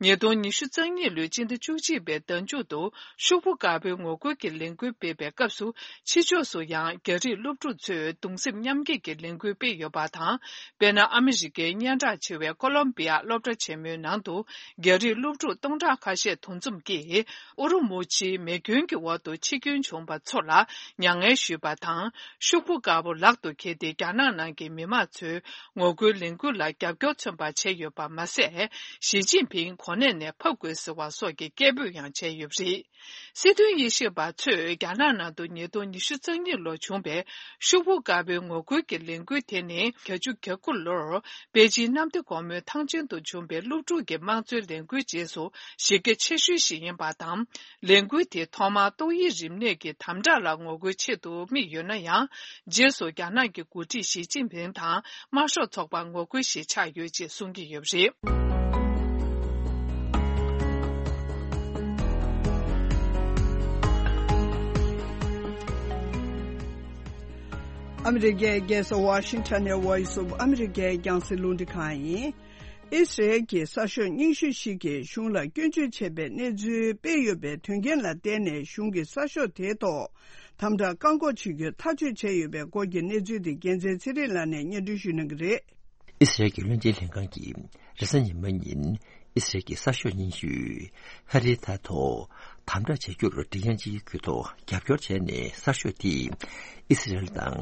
ཉིས་སྟོང་ཉི་ཤུ་རྩ་གཉིས་ལོའི་སྤྱི་ཟླ་བཅུ་གཅིག་པའི་ཟླ་མཇུག་ཏུ། ཤོག་བུ་དཀར་པོའི་ངོ་རྒོལ་གྱི་ལས་འགུལ་སྤེལ་བའི་སྐབས་སུ། ཕྱི་ཕྱོགས་སུ་ཡང་རྒྱ་རིགས་སློབ་ཕྲུག་ཚོས་གདུང་སེམས་མཉམ་སྐྱེད་ཀྱི་ལས་འགུལ་སྤེལ་ཡོད་པ་དང་། དཔེར་ན། ཨ་མི་རི་ཀའི་སྙན་གྲགས་ཆེ་བའི་ཀོ་ལོམ་བི་ཡ་སློབ་གྲྭ་ཆེན་མོའི་ནང་དུ། རྒྱ་རིགས་སློབ་ཕྲུག་སྟོང་ཕྲག་ཁ་ཤས་དུ་འཛོམས་ཀྱིས། ཨུ་རུ་མུ་ཆིའི་མེ་སྐྱོན་གྱི་འོག་ཏུ་འཆི་སྐྱོན་བྱུང་བ་ཚོ་ལ་མྱ་ངན་ཞུས་པ་དང་། ཤོག་བུ་དཀར་པོ་ལག་ཏུ་འཁྱེར་ཏེ། རྒྱ་ནག་ནང་གི་མི་མང་ཚོས་ངོ་རྒོལ་ལས་འགུལ་ལ་རྒྱབ་སྐྱོར་མཚོན་པ་བྱས་ཡོད་པ་མ་ཟད། ཞི་ཅིན་ཕིང་གོ་གནས་ནས་ཕབ་དགོས་ཟེར་བ་སོགས་ཀྱི་སྐད་འབོད་ཡང་བྱས་ཡོད་པ་རེད། སྲིད་དོན་དབྱེ་ཞིབ་པ་ཚོས། རྒྱ་ནག་ནང་དུ་ཉིས་སྟོང་ཉི་ཤུ་རྩ་གཉིས་ལོར་བྱུང་བའི་ཤོག་བུ་དཀར་པོའི་ངོ་རྒོལ་གྱི་ལས་འགུལ་དེ་ནི། བརྒྱད་ཅུ་གྱ་དགུ་ལོར་པེ་ཅིན་གནམ་བདེ་སྒོ་མོའི་ཐང་ཆེན་དུ་བྱུང་བའི་སློབ་ཕྲུག་གི་དམངས་གཙོའི་ལས་འགུལ་རྗེས་སུ་གཞི་རྒྱ་ཆེ་ཤོས་ཤིག་ཡིན་པ་དང་། ལས་འགུལ་དེ་ཐོག་མར་ཏོག་དབྱིབས་རིམས་ནད་ཀྱི་དམ་དྲག་ལ་ངོ་རྒོལ་ཆེད་དུ་དམིགས་ཡོད་ན་ཡང་། རྗེས་སུ་རྒྱ་ནག་གི་འགོ་ཁྲིད་ཞི་ཅིན་ཕིང་དང་། དམར་ཤོག་ཚོགས་པར་ངོ་རྒོལ་ཞིག་ཆགས་ཡོད་ཅེས་གསུང་གི་ཡོད་པ་རེད། ཨ་མི་རི་ཀའི་རྒྱལ་ས་ཝ་ཤིང་ཊོན་ནས་Voice of America་ཡི་རྒྱང་སྲིང་རླུང་འཕྲིན་ཁང་ཡིན། ཨི་སི་རེལ་གྱི་གསར་ཤོག་རྙིང་ཤོས་ཤིག་གིས་གཞུང་ལ་སྐྱོན་བརྗོད་བྱས་པའི་གནས་ཚུལ་སྤེལ་ཡོད་པའི་དོན་རྐྱེན་ལ་བརྟེན་ནས། གཞུང་གིས་གསར་ཤོག་དེའི་ཐོག་དམ་དྲག་བཀག་འགོག་བྱེད་རྒྱུའི་ཐག་གཅོད་བྱས་ཡོད་པའི་སྐོར་གྱི་གནས་ཚུལ་དེ་རྒྱལ་མཚན་ཚེ་རིང་ལགས་ནས་སྙན་སྒྲོན་ཞུ་གནང་གི་རེད། ཨི་སི་རལ་གྱི་བློན་ཆེན་ལྷན་ཁང་གིས་རེས་གཟའ་ཉི་མ་ཉིན། ཨི་སི་རལ་གྱི་གསར་ཤོག་རྙིང་ཤོས་ཧ་རི་ཐ་ཐོག་དམ་དྲག་བྱ་རྒྱུར་མགྲིན་དབྱངས་སྐྱེ་རྒྱུའི་ཐོག་རྒྱབ་སྐྱོར་བྱས་ནས། གསར་ཤོག་དེས་ཨི་སི་རལ་དང་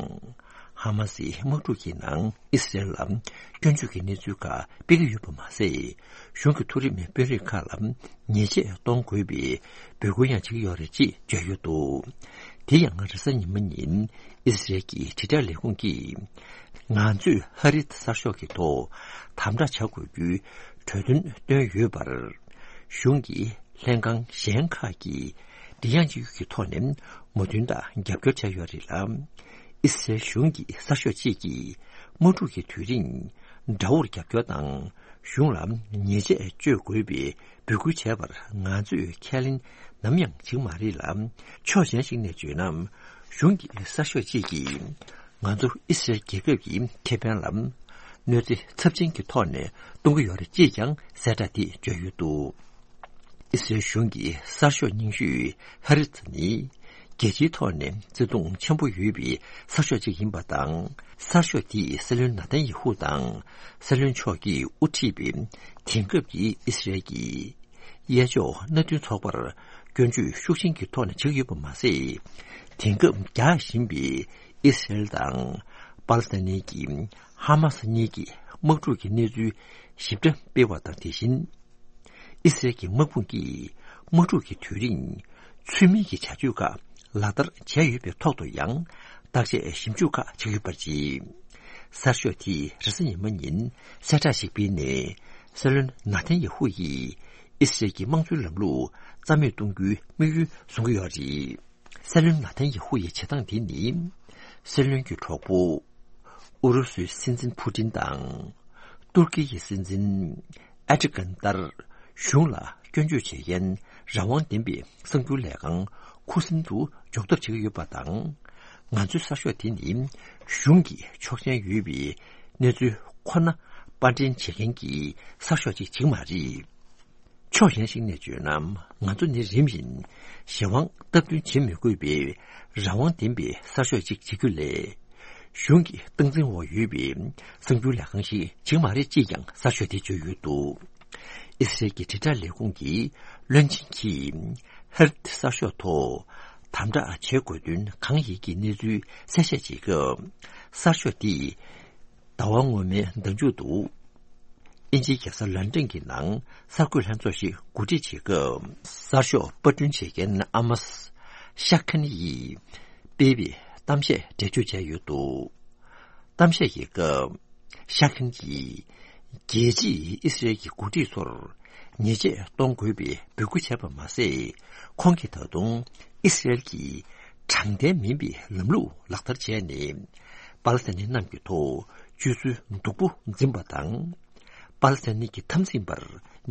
ཧ་མ་སིའི་དམག་འཁྲུག་གི་ནང་ཨི་སི་རལ་ལ་སྐྱོན་བརྗོད་ཀྱི་གནས་ཚུལ་ཁག་སྤེལ་གྱི་ཡོད་པ་མ་ཟད། གཞུང་གི་མཐོ་རིམ་དཔོན་རིགས་ཁག་ལ་ཉེས་ཆད་གཏོང་དགོས་པའི་འབོད་སྐུལ་ཡང་བྱེད་ཀྱི་ཡོད་རེད་ཅེས་བརྗོད་ཡོད་འདུག་དེ་ཡང་རེས་གཟའ་ཉི་མ་ཉིན་ཨི་སི་རལ་གྱི་དྲིལ་བསྒྲགས་ལས་ཁུངས་ཀྱིས། ང་ཚོས་ཧ་རི་ཐ་གསར་ཤོག་གི་ཐོག་དམ་དྲག་བྱ་དགོས་རྒྱུའི་གྲོས་མཐུན་བཏོན་ཡོད་པར། གཞུང་གི་ལྷན་ཁང་གཞན་ཁག་གིས་མགྲིན་དབྱངས་སྐྱེ་རྒྱུ་གི་ཐོག་ནས་མོས་མཐུན་དང་རྒྱབ་སྐྱོར་བྱས་ཡོད་རེད་ལ། ཨི་སི་རལ་གཞུང་གི་གསར་ཤོག་ཅིག་གིས་དམག་འཁྲུག་གི་དུས་རིང་དགྲ་བོར་རྒྱབ་སྐྱོར་དང་། གཞུང་ལ་ཉེས་ཆད་གཅོད་དགོས་པའི་འབོད་སྐུལ་བྱས་པར་ང་ཚོས་ཁས་ལེན་ནམ་ཡང་བྱེད་ཀྱི་མ་རེད་ལ། ཕྱོགས་གཞན་ཞིག་ནས་བརྗོད་ན། གཞུང་གི་གསར་ཤོག་ཅིག་གིས་ང་ཚོ་ཨི་སི་རལ་རྒྱལ་ཁབ་ཀྱི་ཁེ་ཕན་ལ་གནོད་འཚེ་ཚབས་ཆེན་གྱི་ཐོག་ནས་གཏོང་གི་ཡོད་རེད་ཅེས་ཀྱང་གསལ་བསྒྲགས་དེ་བརྗོད་ཡོད་འདུག་ཨི་སི་རལ་གཞུང་གི་གསར་ཤོག་རྙིང་ཤོས་ཧ་རི་ཐ་ནི། རྒྱལ་སྤྱིའི་ཐོག་ནས་བརྩི་མཐོང་ཆེན་པོ་ཡོད་པའི་གསར་ཤོག་ཅིག་ཡིན་པ་དང་། གསར་ཤོག་དེས་སྲིད་བློན་ནཱ་ཐན་ཡེ་ཧུ་དང་། སྲིད་བློན་མཆོག་གིས་དབུ་ཁྲིད་པའི་དེང་སྐབས་ཀྱི་ཨི་སི་རལ་གྱི་གཡས་ཕྱོགས་མནའ་མཐུན་ཚོགས་པར་སྐྱོན་བརྗོད་ཤུགས་ཆེན་གྱི་ཐོག་ནས་བྱེད་ཀྱི་ཡོད་པ་མ་ཟད། དེང་སྐབས་རྒྱག་བཞིན་པའི་ཨི་སི་རལ་དང་པ་ལི་སི་ཐན་གཉིས་ཀྱི་ཧ་མ་སི་གཉིས་ཀྱི་དམག་འཁྲུག་གི་གནས་ཚུལ་ཞིབ་ཕྲ་སྤེལ་བ་དང་། དེ་བཞིན། ཨི་སི་རལ་གྱི་དམག་དཔུང་གིས་དམག་འཁྲུག་གི་དུས་རིང་ཚུལ་མིན་གྱི་བྱ་སྤྱོད་ཁག་ལག་བསྟར་བྱས་ཡོད་པའི་ཐོག་ཏུ་ཡང་བརྟག་དཔྱད་ཞིབ་འཇུག་ཁག་བྱེད་ཀྱི་ཡོད་པར་བརྗོད། གསར་ཤོག་དེས་རེས་གཟའ་ཉི་མ་ཉིན་གསལ་བསྒྲགས་ཤིག་སྤེལ་ནས། སྲིད་བློན་ནཱ་ཐན་ཡེ་ཧུ་ཡིས་ཨི་སི་རལ་གྱི་དམངས་གཙོའི་ལམ་ལུགས་རྩ་མེད་གཏོང་རྒྱུའི་དམིགས་ཡུལ་བཟུང་གི་ཡོད་རེད། སྲིད་བློན་ནཱ་ཐན་ཡེ་ཧུ་ཡི་བྱེད་སྟངས་དེ་ནི། སྲིད་བློན་གྱི་གྲོགས་པོ། ཨུ་རུ་སུའི་སྲིད་འཛིན་ཕུ་ཏིན་དང་། ཏུར་ཀི་ཡི་སྲིད་འཛིན་ཨེར་ཏོ་གྷན་ལྟར། གཞུང་ལ་སྐྱོན་བརྗོད་བྱེད་མཁན་རང་དབང་ལྡན་པའི་གསར་འགྱུར་ལས་ཁང་ཁུ་སིམ་དུ་འཇོག་ཐབས་བྱེད་ཀྱི་ཡོད་པ་དང་། ང་ཚོའི་གསར་ཤོག་དེ་ནི། གཞུང་གི་ཆོག་མཆན་ཡོད་པའི་གནས་ཚུལ་ཁོ་ན་པར་འདྲེན་བྱེད་མཁན་གྱི་གསར་ཤོག་ཅིག་ཅིག་མ་རེད། ཕྱོགས་གཞན་ཞིག་ནས་བརྗོད་ན། ང་ཚོ་ནི་རིམ་བཞིན་གཞན་དབང་སྟབས་བསྟུན་བྱེད་མི་དགོས་པའི་རང་དབང་ལྡན་པའི་གསར་ཤོག་ཅིག་བྱེད་རྒྱུ་ལས། གཞུང་གི་སྟངས་འཛིན་འོག་ཡོད་པའི་གསར་འགྱུར་ལས་ཁང་ཞིག་ཅིག་མ་རེད་ཅེས་ཀྱང་གསར་ཤོག་དེས་བརྗོད་ཡོད་འདུག་ཨི་སི་རལ་གྱི་དྲིལ་བསྒྲགས་ལས་ཁུངས་ཀྱི་བློན་ཆེན་གྱིས་ཧར་ཏི་གསར་ཤོག་ཐོག་དམ་དྲག་བྱེད་དགོས་དོན་གང་ཡིན་གྱི་གནས་ཚུལ་གསལ་བཤད་བྱེད་སྐབས། གསར་ཤོག་འདིས། ཟླ་བ་སྔོན་མའི་ཟླ་མཇུག་ཏུ། དབྱིན་ཇིའི་རྒྱལ་ས་ལན་ཀྲན་གྱི་ནང་གསར་འགོད་ལྷན་ཚོགས་ཤིག་གོ་སྒྲིག་བྱེད་སྐབས། གསར་ཤོག་པར་སྐྲུན་བྱེད་མཁན་ཨ་མ་སི་ཤ་ཁན་ཡིས་སྤེལ་བའི་གཏམ་བཤད་འགྲེལ་བརྗོད་བྱས་ཡོད་འདུག་གཏམ་བཤད་ཀྱི་སྐབས། ཤ་ཁན་གྱིས་རྒྱལ་སྤྱིའི་ཨི་སི་རལ་གྱི་འགོ་ཁྲིད་ཚོར་ ཉེས་ཆད་གཏོང་དགོས་པའི་འབོད་སྐུལ་བྱས་པ་མ་ཟད། ཁོང་གིས་ད་དུང་ཨི་སི་རེལ་གྱིས་དྲང་བདེན་མིན་པའི་ལམ་ལུགས་ལག་བསྟར་བྱས་ནས། པ་ལི་སི་ཐན་ནི་རྣམས་ཀྱི་ཐོག་སྤྱོད་ཚུལ་སྡུག་པོ་འཛིན་པ་དང་། པ་ལི་སི་ཐན་ནི་གྱི་འཐབ་འཛིང་པར་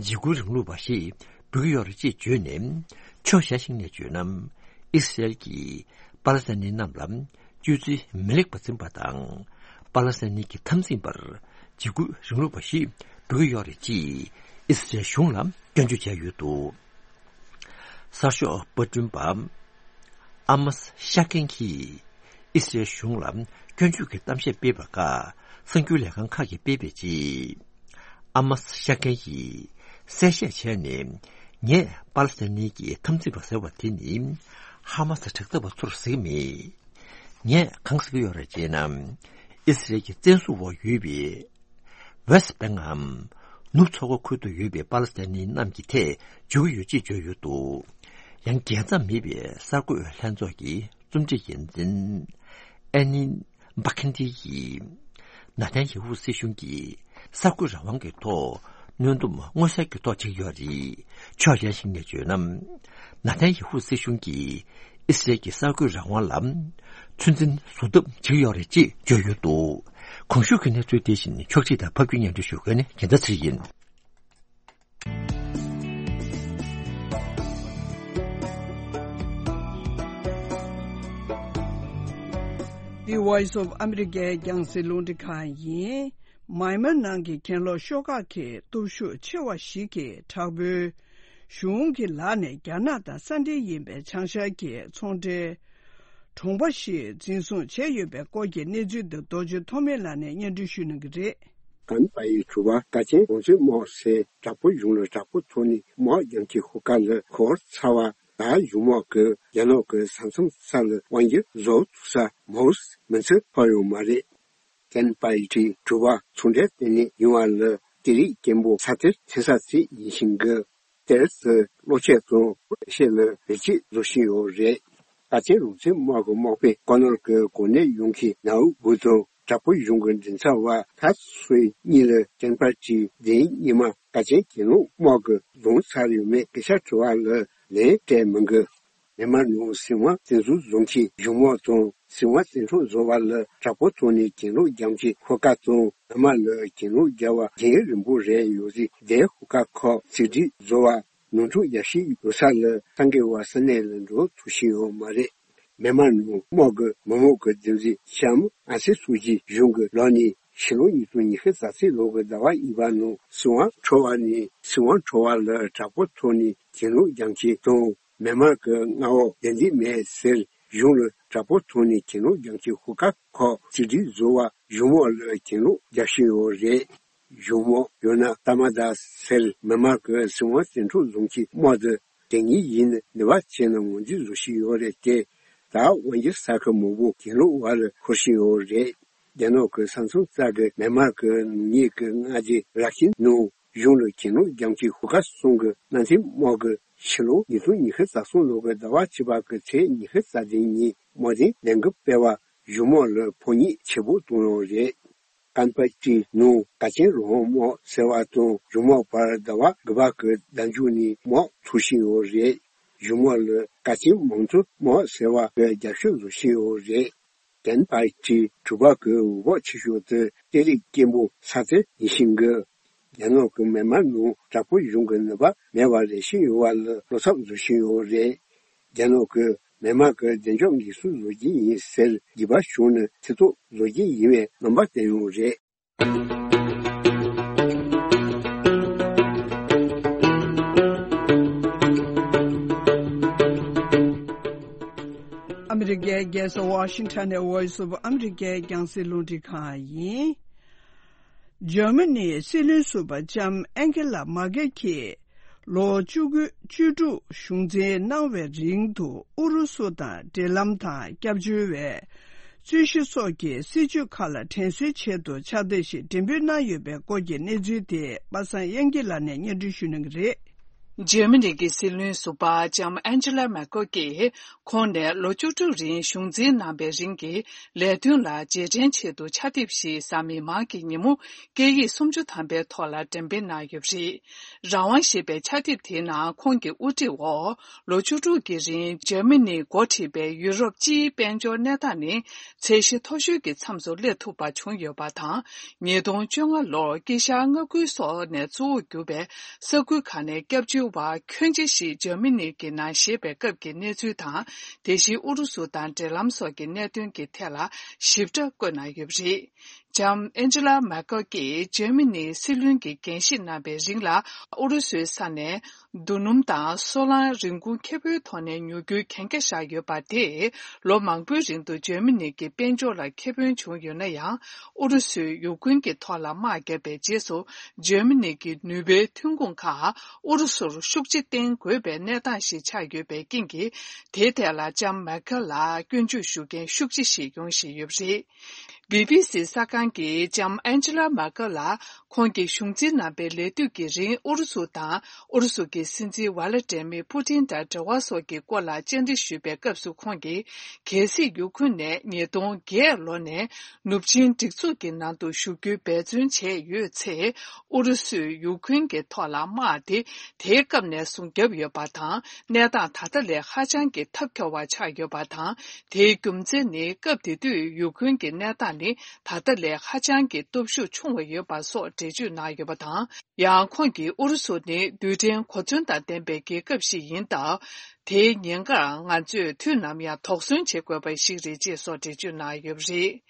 འཇིགས་སྐུལ་རིང་ལུགས་པ་ཞེས་འབོད་ཀྱི་ཡོད་རེད་ཅེས་བརྗོད་ནས། ཕྱོགས་གཞན་ཞིག་ནས་བརྗོད་ན། ཨི་སི་རེལ་གྱིས་པ་ལི་སི་ཐན་ནི་རྣམས་ལ་སྤྱོད་ཚུལ་མི་ལེགས་པ་འཛིན་པ་དང་། པ་ལི་སི་ཐན་ནི་གྱི་འཐབ་འཛིང་པར་འཇིགས་སྐུལ་རིང་ལུགས་པ་ཞེས་འབོད་ཀྱི་ཡོད་རེད་ཅེས་ཨི་སི་རེལ་གཞུང་ལ་སྐྱོན་བརྗོད་བྱས་ཡོད་འདུག། གསར་ཤོག་པར་སྐྲུན་པ་ཨ་མཱས་ཤ་ཀན་གྱིས་ཨི་སི་རེལ་གཞུང་ལ་སྐྱོན་བརྗོད་ཀྱི་གཏམ་བཤད་སྤེལ་བའི་སྐབས། གསར་འགྱུར་ལས་ཁང་ཁག་གིས་སྤེལ་བའི་རྗེས། ཨ་མཱས་ཤ་ཀན་གྱིས་གསལ་བཤད་བྱས་ནས། ངས་པ་ལི་སི་ཐན་ནི་གྱི་འཐབ་འཛིང་པ་ཟེར་བ་དེ་ནི་ཧ་མ་སི་དྲག་འཐབ་པ་ཚོར་ཟེར་གྱི་མེད། ངས་གང་ཟེར་གྱི་ཡོད་རེད་ཅེ་ན། ཨི་སི་རེལ་གྱི་བཙན་འཛུལ་འོག་ཡོད་པའི་ཝེ་སི་བྷེང་ངམ་ནུབ་མཚོ་ཁ་ཁུལ་དུ་ཡོད་པའི་པ་ལི་སི་ཐན་ནི་རྣམས་ཀྱི་ཐད་འཇུག་གི་ཡོད་ཅེས་བརྗོད་ཡོད་འདུག། ཡང་རྒྱལ་མཚམས་མེད་པའི་གསར་འགོད་ལྷན་ཚོགས་ཀྱི་རྩོམ་སྒྲིག་འགན་འཛིན་ཨན་ནི་བྷ་ཁན་ཏི་ཡིས། ན་ཐན་ཡ་ཧུ་སྲིད་གཞུང་གིས་གསར་འགོད་རང་དབང་གི་ཐོག་གནོན་སྡོམ་མངོན་གསལ་གྱི་ཐོག་བྱེད་ཀྱི་ཡོད་རེད། ཕྱོགས་གཞན་ཞིག་ནས་བརྗོད་ན། ན་ཐན་ཡ་ཧུ་སྲིད་གཞུང་གིས་ཨི་སི་རེལ་གྱི་གསར་འགོད་རང་དབང་ལ་ཚོད་འཛིན་བཟོ་ཐབས་བྱེད་ཀྱི་ཡོད་རེད་ཅེས་བརྗོད་ཡོད་འདུག། གོང་ཞུས་ཀྱི་གནས་ཚུལ་དེ་བཞིན་ཕྱོགས་སྒྲིག་དང་ཕབ་སྒྱུར་སྙན་སྒྲོན་ཞུ་མཁན་ནི་རྒྱལ་མཚན་ཚེ་རིང་ཡིན། འདི་Voice of America རྒྱང་སྲིང་རླུང་འཕྲིན་ཁང་ཡིན། མཱི་མཱ་ནང་གི་གྱེན་ལོག་ཤོག་ཁག་གི་སྟོབས་ཤུགས་ཆེ་བ་ཞིག་གིས་དྲག་པོའི་གཞུང་གི་ལག་ནས་རྒྱ་ནག་དང་ས་འབྲེལ་ཡིན་པའི་བྱང་ཤར་གྱི་ཚོང་འབྲེལ་གྲོང་པ་ཞིག་འཛིན་བཟུང་བྱས་ཡོད་པའི་སྐོར་གྱི་གནས་ཚུལ་འདི་རྡོ་རྗེ་ཐོགས་མེད་ལགས་ནས་སྙན་སྒྲོན་ཞུ་གནང་གི་རེད། ཀན་པ་ཡི་དྲུག་པ་ཀ་ཆེན་རོང་ཚོའི་དམག་སེ་དྲག་པོ་གཞུང་ལ་དྲག་པོ་ཐོག་ནས་དམག་རྒྱང་ཁྱི་ཤོག་ཁག་ལ་གོ་བར་ཚར་བ་ད་གཞུང་དམག་གི་རྒྱ་ནག་གི་ས་མཚམས་ས་ལ་དབང་སྒྱུར་བཟོ་ཐུབ་ས་མོས་མི་ཚེ་ཕར་ཡོང་མ་རེད། ཀན་པ་ཡི་ཁྲི་དྲུག་པ་ཚོང་འབྲེལ་ལྟེ་གནས་ཡོང་བ་ལ་དེ་རིགས་སྐྱེན་པོ་ས་མཐོའི་ཐོན་ས་ཚིག་ཡིན་ཞིང་གི། དེར་སུ་གློག་ཆས་དང་རེ་ཤེད་ལ་རེ་ཆེད་བཟོ་བཞིན་ཡོད་རེད། ཀ་ཆེན་རོང་ཚོའི་དམག་གི་དམག་དཔོན་ཀོ་ནོར་གྱི་གོ་གནས་ཡོང་མཁན་ནའུ་གུ་དང་དྲག་པོ་གཞུང་གི་མགྲིན་ཚབ་པ་ཐ་སུའི་གཉིས་ལ་ཀན་པ་ཁྲི་དེའི་ཉི་མ་ཀ་ཆེན་གྱེན་ལོག་དམག་གི་རྫོང་ཚར་ཡོད་མེད་སྐད་ཆ་དྲི་བ་ལ་ལན་སྤྲད་མི་འདུག། མེན་མར་ནང་སྲིད་དབང་བཙན་འཛུལ་བཟོ་མཁན་གཞུང་དམག་དང་སྲིད་དབང་བཙན་འཕྲོག་བཟོ་བ་ལ་དྲག་པོ་ཐོག་ནས་གྱེན་ལོག་རྒྱག་མཁན་ཤོག་ཁག་དང་མི་དམངས་ལ་གྱེན་ལོག་རྒྱག་པ་རྒྱུན་རིང་པོ་རེད། ཡོད་ཚད་དེ་ཤོག་ཁག་ཁག་ཟིག་སྒྲིག་བཟོ་བ་ནོར་འཁྲུལ་ཡར་ཞིག་ཡོད་ས་ལ་ས་འགེལ་བ་ས་གནས་ལ་འགྲོ་ཐུབ་བཞིན་ཡོད་མ་རེད། མེན་མར་ནང་དམག་གི་མི་མང་གི་འདུ་འཛི་ཤམ་ཨ་སི་སུ་ཇི་གཞུང་གི་ལག་ནས་ཕྱི་ལོ་ཉིས་སྟོང་ཉི་ཤུ་རྩ་གཅིག་ལོ་གི་ཟླ་བ་གཉིས་པ་ནང་སྲིད་དབང་འཕྲོག་པ་ནས་སྲིད་དབང་འཕྲོག་པ་ལ་དྲག་པོ་ཐོག་ནས་གྱེན་ལོག་རྒྱག་མཁན་དང་། མེན་མར་གྱི་མངའ་འོག་བདེ་འཛིན་མེད་ཟེར་གཞུང་ལ་དྲག་པོ་ཐོག་ནས་གྱེན་ལོག་རྒྱག་མཁན་ཤོག་ཁག་ཁག་ཟིག་སྒྲིག་བཟོ་བ་གཞུང་དམག་ལ་གྱེན་ལོག་རྒྱག་བཞིན་ཡོད་རེད། གཞུང་དམག་ཡོད་ན་ཏ་མ་ད་ཟེར་མེན་མར་གྱི་སྲིད་དབང་བཙན་འཕྲོག་བཟོ་མཁན་དམག་དེ་དེ་ཉིད་ཡིན་ནི་བ་བྱས་ནས་ངོས་འཛིན་བཟོ་བཞིན་ཡོད་རེད་དེ། ད་དབང་སྒྱུར་ས་ཁུལ་མང་པོ་གྱེན་ལོག་བར་ལ་འཁོར་བཞིན་ཡོད་རེད། རྒྱ་ནག་གི་ས་མཚམས་རྩ་གི་མེན་མར་གྱི་ནུབ་ཉེ་གི་མངའ་སྡེ་ར་ཤིན་ནང་གཞུང་ལ་གྱེན་ལོག་རྒྱག་མཁན་ཤོག་ཁག་གསུམ་གྱི་མནའ་མཐུན་དམག་གིས་ཕྱི་ལོ་ཉིས་སྟོང་ཉི་ཤུ་རྩ་གསུམ་ལོ་གི་ཟླ་བ་བཅུ་པ་གི་ཚེས་ཉི་ཤུ་རྩ་བདུན་ཉིན་དམག་དོན་ལས་འགུལ་སྤེལ་བ་གཞུང་དམག་ལ་ཕོ་ཉ་ཆེ་པོ་བཏང་ཡོད་རེད། ཀན་པ་ཏི་ནང་ཀ་ཆེན་རང་དབང་དམག་ཟེར་བ་དང་གཞུང་དམག་བར་ཟླ་བ་དགུ་པ་གི་ཟླ་མཇུག་ནས་དམག་འཁྲུག་བཞིན་ཡོད་རེད། གཞུང་དམག་ལ་ཀ་ཆེན་མང་གཙོ་དམག་ཟེར་བ་གི་རྒྱབ་སྐྱོར་བཟོ་བཞིན་ཡོད་རེད། ཀན་པ་ཏི་གྲུ་པ་གི་འོས་འབབ་ཆེ་ཤོས་དེ་ཏེ་རིག་སྐྱེན་པོ་ས་མཐོ་ཡིན་ཞིང་གི། རྒྱ་ནག་གི་མེན་མར་ནང་དྲག་པོ་གཞུང་གི་ནུས་པ་མེད་པ་རེ་ཞིག་ཡོད་པ་ལ་བློ་འཚབ་བཟོ་བཞིན་ཡོད་རེད། རྒྱ་ནག་གིས་མེན་མར་གྱི་བདེ་འཇགས་འགན་སྲུང་བཟོ་གི་ཡིན་ཟེར་འགྱོད་པ་བྱུང་ནས་ཐེ་གཏོགས་བཟོ་གི་ཡིན་པའི་རྣམ་པ་བསྟན་ཡོད་རེད། ཨ་མི་རི་ཀའི་རྒྱལ་ས་ཝ་ཤིང་ཊོན་ནས་Voice of America རྒྱང་སྲིང་རླུང་འཕྲིན་ཁང་ཡིན། འཇར་མ་ནིའི་སྲིད་བློན་ཟུར་པ་ལྕམ་ཨན་ཀེ་ལ་མར་ཀེལ་གྱིས་ལོ་བཅུ་དགུ་བཅུ་དྲུག་གཞུང་འཛིན་གནང་བའི་རིང་དུ་ཨུ་རུ་སུ་དང་འབྲེལ་ལམ་དང་སྐྱབས་བཅོལ་བའི་རྩོད་གཞི་སོགས་ཀྱི་སྲིད་བྱུས་ཁག་ལ་དྲན་གསོའི་ཆེད་དུ་ཕྱག་དེབ་ཞིག་འགྲེམས་སྤེལ་གནང་ཡོད་པའི་སྐོར་གྱི་གནས་ཚུལ་དེ་པ་སངས་དབྱངས་སྐྱིད་ལགས་ནས་སྙན་སྒྲོན་ཞུ་གནང་གི་རེད། འཇར་མ་ནི་གི་སྲིད་བློན་ཟུར་པ་ལྕམ་ཨན་ཇི་ལ་མེར་ཀེལ་གྱིས་ཁོང་ནས་ལོ་བཅུ་དྲུག་རིང་གཞུང་འཛིན་གནང་བའི་རིང་གི་ལས་དོན་ལ་རྗེས་དྲན་ཆེད་དུ་ཕྱག་དེབ་ཞིག་གཟའ་མིག་དམར་གྱི་ཉིན་མོ་སྐད་ཡིག་སུམ་ཅུ་ཐམ་པའི་ཐོག་ལ་འགྲེམས་སྤེལ་གནང་ཡོད་པ་རེད། རང་དབང་ཞེས་པའི་ཕྱག་དེབ་དེའི་ནང་ཁོང་གི་དབུ་ཁྲིད་འོག་ལོ་བཅུ་དྲུག་གི་རིང་འཇར་མ་ནི་འགོ་ཁྲིད་པའི་ཡུ་རོབ་སྤྱིའི་དཔལ་འབྱོར་གནས་སྟངས་ནི་ཚད་གཞི་མཐོ་ཤོས་ཀྱི་མཚམས་སུ་སླེབས་ཐུབ་པ་བྱུང་ཡོད་པ་དང་། ཉིས་སྟོང་བཅོ་ལྔ་ལོར་དཀྱིལ་ཤར་མངའ་ཁུལ་སོགས་ནས་གཙོ་བོར་གྱུར་པའི་ས་ཁུལ་ཁག་ནས་སྐྱབས་བཅོལ་བ་ཁྱོན་ཆེ་ཞིག་འཇར་མ་ནི་གི་ནང་བཞེས་པའི་སྐབས་ཀྱི་གནས་ཚུལ་དང་། དེ་བཞིན་ཨུ་རུ་སུ་དང་འབྲེལ་ལམ་སོགས་ཀྱི་གནད་དོན་གྱི་ཐད་ལ་ཞིབ་ཕྲ་བཀོད་གནང་ཡོད་པ་རེད། ལྕམ་ཨན་ཇི་ལ་མེར་ཀེལ་གྱིས་འཇར་མ་ནིའི་སྲིད་བློན་གྱི་འགན་བཞེས་གནང་བའི་རིང་ལ་ཨུ་རུ་སུའི་ས་ནས་རྡོ་སྣུམ་དང་སོལ་རླངས་རིན་གོང་ཁེ་པོའི་ཐོག་ནས་ཉོ་རྒྱུའི་གན་རྒྱ་བཞག་ཡོད་པ་དེས་ལོ་མང་པོའི་རིང་དུ་འཇར་མ་ནི་གི་དཔལ་འབྱོར་ལ་ཁེ་ཕན་བྱུང་ཡོད་ན་ཡང་། ཨུ་རུ་སུས་ཡུ་ཀེ་རེན་གྱི་ཐོག་ལ་དམག་བརྒྱབ་པའི་རྗེས་སུ་འཇར་མ་ནི་གི་ནུས་པའི་ཐོན་ཁུངས་ཁག་ཨུ་རུ་སུར་ཤུགས་ཆེ་བརྟེན་དགོས་པའི་གནས་སྟངས་ཤིག་ཆགས་ཡོད་པའི་རྐྱེན་གྱིས། དེའི་ཐད་ལ་ལྕམ་མེར་ཀེལ་ལ་སྐྱོན་བརྗོད་ཞུ་མཁན་ཤུགས་ཆེ་ཞིག་ཡོང་བཞིན་ཡོད་པ་རེད། བི་བི་སི་གསར་ཁང་གིས་ལྕམ་ཨན་ཇི་ལ་མེར་ཀེལ་ལ་ཁོང་གིས་གཞུང་འཛིན་གནང་པའི་ལས་དུས་ཀྱི་རིང་ཨུ་རུ་སུ་དང་ཨུ་རུ་སུ་གྱི་སྲིད་འཛིན་ཝ་ལ་ཏྲེ་མི་པུ་ཏིན་དང་འབྲེལ་བ་སོགས་ཀྱི་སྐོར་ལ་བཅར་འདྲི་ཞུས་པའི་སྐབས་སུ་ཁོང་གིས། གལ་སྲིད་ཡུ་ཁུན་ནས་ཉིས་སྟོང་བརྒྱད་ལོ་ནས་ནུབ་ཆིངས་སྒྲིག་འཛུགས་ཀྱི་ནང་དུ་ཞུགས་རྒྱུའི་འབད་བརྩོན་བྱས་ཡོད་ཚེ། ཨུ་རུ་སུས་ཡུ་ཁུན་གྱི་ཐོག་ལ་དམག་དེ་དེའི་སྐབས་ནས་བཟུང་བརྒྱབ་ཡོད་པ་དང་། གནས་སྟངས་ད་ལྟ་ལས་ཧ་ཅང་གི་ཐབས་སྐྱོ་བ་ཆགས་ཡོད་པ་དང་། དེའི་རྒྱུ་མཚན་ནི་སྐབས་དེ་དུས་ཡུ་ཁུན་གྱི་གནས་སྟངས་ནི་ད་ལྟ་ལས་ཧ་ཅང་གི་སྟོབས་ཤུགས་ཆུང་བ་ཡོད་པ་སོགས་འགྲེལ་བརྗོད་གནང་ཡོད་པ་དང་། ཡང་ཁོང་གིས་ཨུ་རུ་སུ་ནི་རྡུལ་ཕྲན་གོ་མཚོན་དང་ལྡན་པའི་རྒྱལ་ཁབ་ཞིག་ཡིན་སྟབས། དེའི་ཉེན་ཁར་ང་ཚོས་དུས་ནམ་ཡང་དོགས་ཟོན་བྱེད་དགོས་པ་ཞིག་རེད་ཅེས་སོགས་འགྲེལ་བརྗོད་གནང་ཡོད་པ་རེད།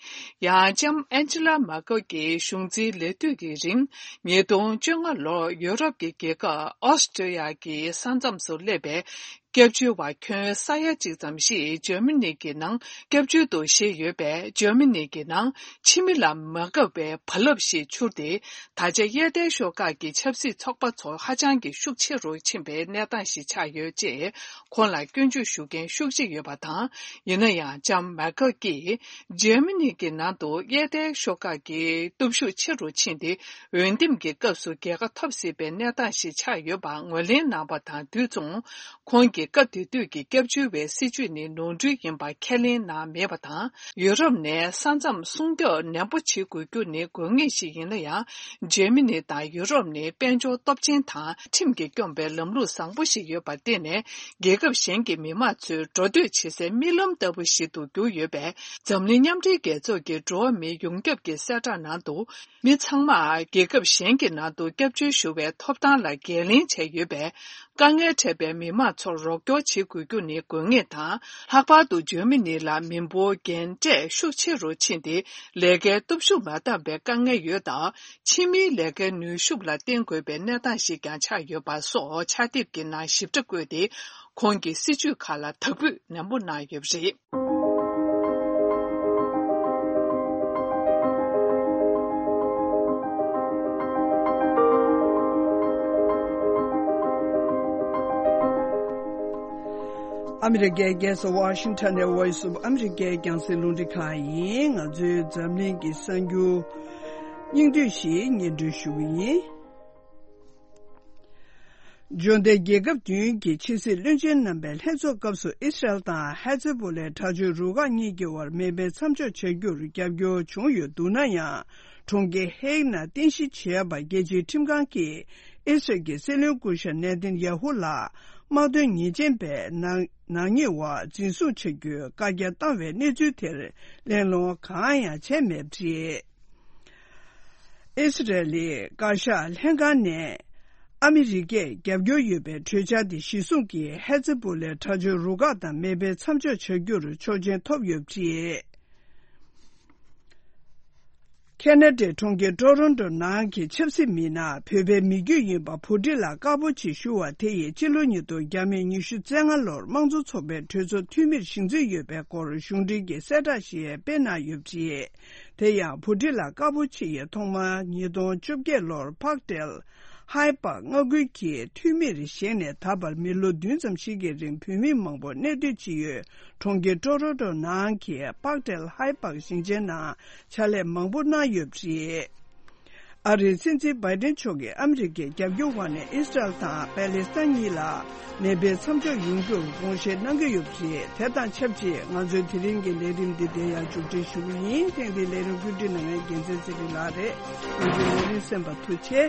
ཡང་ལྕམ་ཨན་ཇི་ལ་མེར་ཀེལ་གྱི་གཞུང་འཛིན་ལས་དུས་ཀྱི་རིང་། ཉིས་སྟོང་བཅོ་ལྔ་ལོར་ཡུ་རོབ་ཀྱི་རྒྱལ་ཁབ་ཨོ་སི་ཀྲི་ཡ་གི་ས་མཚམས་སུ་སླེབས་པའི་སྐྱབས་བཅོལ་བ་ཁྱོན་ས་ཡ་གཅིག་ཙམ་ཞིག་འཇར་མ་ནི་གི་ནང་སྐྱབས་བཅོལ་དུ་བཞེས་ཡོད་པས། འཇར་མ་ནི་གི་ནང་ཕྱི་མི་ལ་མ་དགའ་བའི་བག་ལེབ་ཞིག་འཕྱུར་ཏེ། ད་ཆ་གཡས་ལྡན་ཤོག་ཁག་གི་ཆབ་སྲིད་ཚོགས་པ་ཚོ་ཧ་ཅང་གི་ཤུགས་ཆེ་རུ་ཕྱིན་པའི་གནས་སྟངས་ཤིག་ཆགས་ཡོད་ཅེས་ཁོང་ལ་སྐྱོན་བརྗོད་ཞུ་མཁན་ཤུགས་ཆེ་ཡོད་པ་དང་། ཡིན་ན་ཡང་ལྕམ་མེར་ཀེལ་གྱིས་འཇར་མ་ནི་གི་ནང་དུ་གཡས་ལྡན་ཤོག་ཁག་གི་སྟོབས་ཤུགས་ཆེ་རུ་ཕྱིན་ཏེ། འོས་འདེམས་ཀྱི་སྐབས་སུ་རྒྱལ་ཁ་ཐོབ་སྲིད་པའི་གནས་སྟངས་ཤིག་ཆགས་ཡོད་པ་ངོས་ལེན་གནང་བ་དང་དུས་མཚུངས། ཁོང་གིས་སྐབས་དེ་དུས་ཀྱི་སྐྱབས་བཅོལ་བའི་སྲིད་བྱུས་ནི་ནོར་འཁྲུལ་ཡིན་པ་ཁས་ལེན་གནང་མེད་པ་དང་། ཡུ་རོབ་ནས་ས་མཚམས་སྲུང་སྐྱོབ་ནན་པོ་བྱེད་དགོས་རྒྱུ་ནི་དགོས་ངེས་ཤིག་ཡིན་ན་ཡང་། འཇར་མ་ནི་དང་ཡུ་རོབ་ནི་དཔལ་འབྱོར་སྟོབས་ཆེན་དང་ཁྲིམས་ཀྱིས་སྐྱོང་པའི་ལམ་ལུགས་བཟང་པོ་ཞིག་ཡོད་པར་བརྟེན་ནས། རྒྱལ་ཁབ་གཞན་གྱི་མི་དམངས་ཚོས་འགྲོ་སྡོད་བྱེད་སའི་རྨི་ལམ་ལྟ་བུ་ཞིག་ཏུ་གྱུར་ཡོད་པས། འཛམ་གླིང་མཉམ་འབྲེལ་རྒྱལ་ཚོགས་ཀྱི་འགྲོ་བ་མིའི་ཡོངས་ཁྱབ་ཀྱི་གསལ་བསྒྲགས་ནང་དུ། མི་ཚང་མར་རྒྱལ་ཁབ་གཞན་གྱི་ནང་དུ་སྐྱབས་བཅོལ་ཞུ་བའི་ཐོབ་ཐང་ལ་འགན་ལེན་བྱས་ཡོད་པས། དཀའ་ངལ་འཕྲད་པའི་མི་དམངས་ཚོར་རོགས་སྐྱོར་བྱེད་དགོས་རྒྱུ་ནི་དགོས་ངེས་དང་། ལྷག་པར་དུ་འཇར་མ་ནི་ལ་མི་འབོར་རྒན་གྲས་ཤུགས་ཆེ་རུ་ཕྱིན་ཏེ། ལས་ཀའི་སྟོབས་ཤུགས་མ་འདང་བའི་དཀའ་ངལ་ཡོད་སྟབས། ཕྱི་མིའི་ལས་ཀའི་ནུས་ཤུགས་ལ་བརྟེན་དགོས་པའི་གནས་སྟངས་ཤིག་ཀྱང་ཆགས་ཡོད་པ་སོགས་ཕྱག་དེབ་ཀྱི་ནང་ཞིབ་ཕྲ་བཀོད་དེ། ཁོང་གི་སྲིད་བྱུས་ཁག་ལ་དག་འབུད་ནན་པོ་གནང་ཡོད་པ་རེད། ཨ་མི་རི་ཀའི་རྒྱལ་ས་ཝ་ཤིང་ཊོན་ནས་Voice of America་རྒྱང་སྲིང་རླུང་འཕྲིན་ཁང་ཡིན། ང་ཚོའི་འཛམ་གླིང་གི་གསར་འགྱུར་སྙིང་བསྡུས་ཤིག་སྙན་སྒྲོན་ཞུ་གི་ཡིན། འབྱོར་ལྡན་རྒྱལ་ཁབ་བདུན་གྱི་ཕྱི་སྲིད་བློན་ཆེན་རྣམ་པའི་ལྷན་ཚོགས་སྐབས་སུ་ཨི་སི་རལ་དང་ཧེ་ཛི་བྷོ་ལའི་དྲག་སྤྱོད་རུ་ཁག་གཉིས་ཀྱི་དབར་མེ་འཕེན་མཚམས་འཇོག་བྱ་རྒྱུར་རྒྱབ་སྐྱོར་བྱུང་ཡོད་འདུག་ན་ཡང་། གྲོང་ཁྱེར་ཧེག་ནང་རྟེན་གཞི་བྱས་པ་རྒྱལ་སྤྱིའི་ཁྲིམས་ཁང་གིས་ཨི་སི་རལ་གྱི་སྲིད་བློན་སྐུ་ཞབས་ནེ་ཐན་ཡ་ཧུ་ལ་དམག་དོན་ཉེས་ཅན་པའི་ནག་ནག་ཉེས་འོག་འཛིན་བཟུང་བྱ་རྒྱུའི་བཀའ་རྒྱ་བཏང་བའི་གནས་ཚུལ་དེར་གླེང་སློང་གང་ཡང་བྱས་མེད་པ་རེད། ཨི་སི་རལ་ལི་བཀའ་ཤག་ལྷན་ཁང་ནས་ཨ་མི་རི་ཀས་རྒྱབ་སྐྱོར་ཡོད་པའི་གྲོས་འཆར་དེ་གཞི་བཟུང་གིས་ཧེ་ཛི་བྷོ་ལའི་དྲག་སྤྱོད་རུ་ཁག་དང་མེ་འཕེན་མཚམས་འཇོག་བྱ་རྒྱུར་ཆོག་མཆན་ཐོབ་ཡོད་པ་རེད། ཁེ་ན་ཌའི་གྲོང་ཁྱེར་ཊོ་རོན་ཊོ་ནང་གི་ཆབ་སྲིད་མི་སྣ་བོད་པའི་མི་རྒྱུད་ཡིན་པ་བྷུ་ཊི་ལ་དཀར་པོ་ཆེ་ཞུ་བ་དེ་ཡིས་སྤྱི་ལོ་ཉིས་སྟོང་ཉི་ཤུ་རྩ་ལྔ་ལོར་དམངས་གཙོ་ཚོགས་པའི་གྲོས་ཚོགས་འཐུས་མིར་བཞེངས་རྩིས་ཡོད་པའི་སྐོར་གཞུང་འབྲེལ་གྱི་གསལ་བསྒྲགས་ཤིག་སྤེལ་གནང་ཡོད་པ་རེད། དེ་ཡང་བྷུ་ཊི་ལ་དཀར་པོ་ཆེ་ཡིས་ཐོག་མར་ཉིས་སྟོང་བཅོ་བརྒྱད་ལོར་པག་ཏེལ་ཧའི་པག་མངའ་ཁུལ་གྱི་འཐུས་མིར་བཞེངས་ནས་ད་བར་མི་ལོ་བདུན་ཙམ་ཞིག་གི་རིང་བོད་མི་མང་པོ་གནས་སྡོད་བྱེད་ཡུལ་གྲོང་ཁྱེར་ཊོ་རོན་ཊོ་ནང་གི་པག་ཏེལ་ཧའི་པག་ཞིང་ཆེན་ནང་ཕྱག་ལས་མང་པོ་གནང་ཡོད་པ་རེད། ཨ་རིའི་སྲིད་འཛིན་བྷའི་ཏིན་མཆོག་གིས་ཨ་མི་རི་ཀའི་རྒྱབ་སྐྱོར་འོག་ནས་ཨི་སི་རལ་དང་པེ་ལེ་སི་ཐན་གཉིས་ལ་ནད་པའི་མཚམས་འཇོག་ཡོང་རྒྱུར་དགོངས་བཞེས་གནང་གི་ཡོད་པ་རེད། དེ་དང་ཆབས་ཅིག་ང་ཚོའི་དེ་རིང་གི་ལས་རིམ་འདི་འདིར་ཡང་མཇུག་སྒྲིལ་ཞུ་གི་ཡིན། ཐེངས་འདིའི་ལས་རིམ་བཀོད་སྒྲིག་གནང་མཁན་རྒྱལ་མཚན་ཚེ་རིང་ལགས་རེད། ང་ཚོའི་ལས་རིམ་གསན་པར་ཐུགས་རྗེ་ཆེ།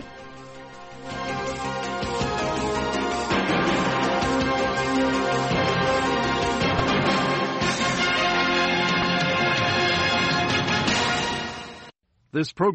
This program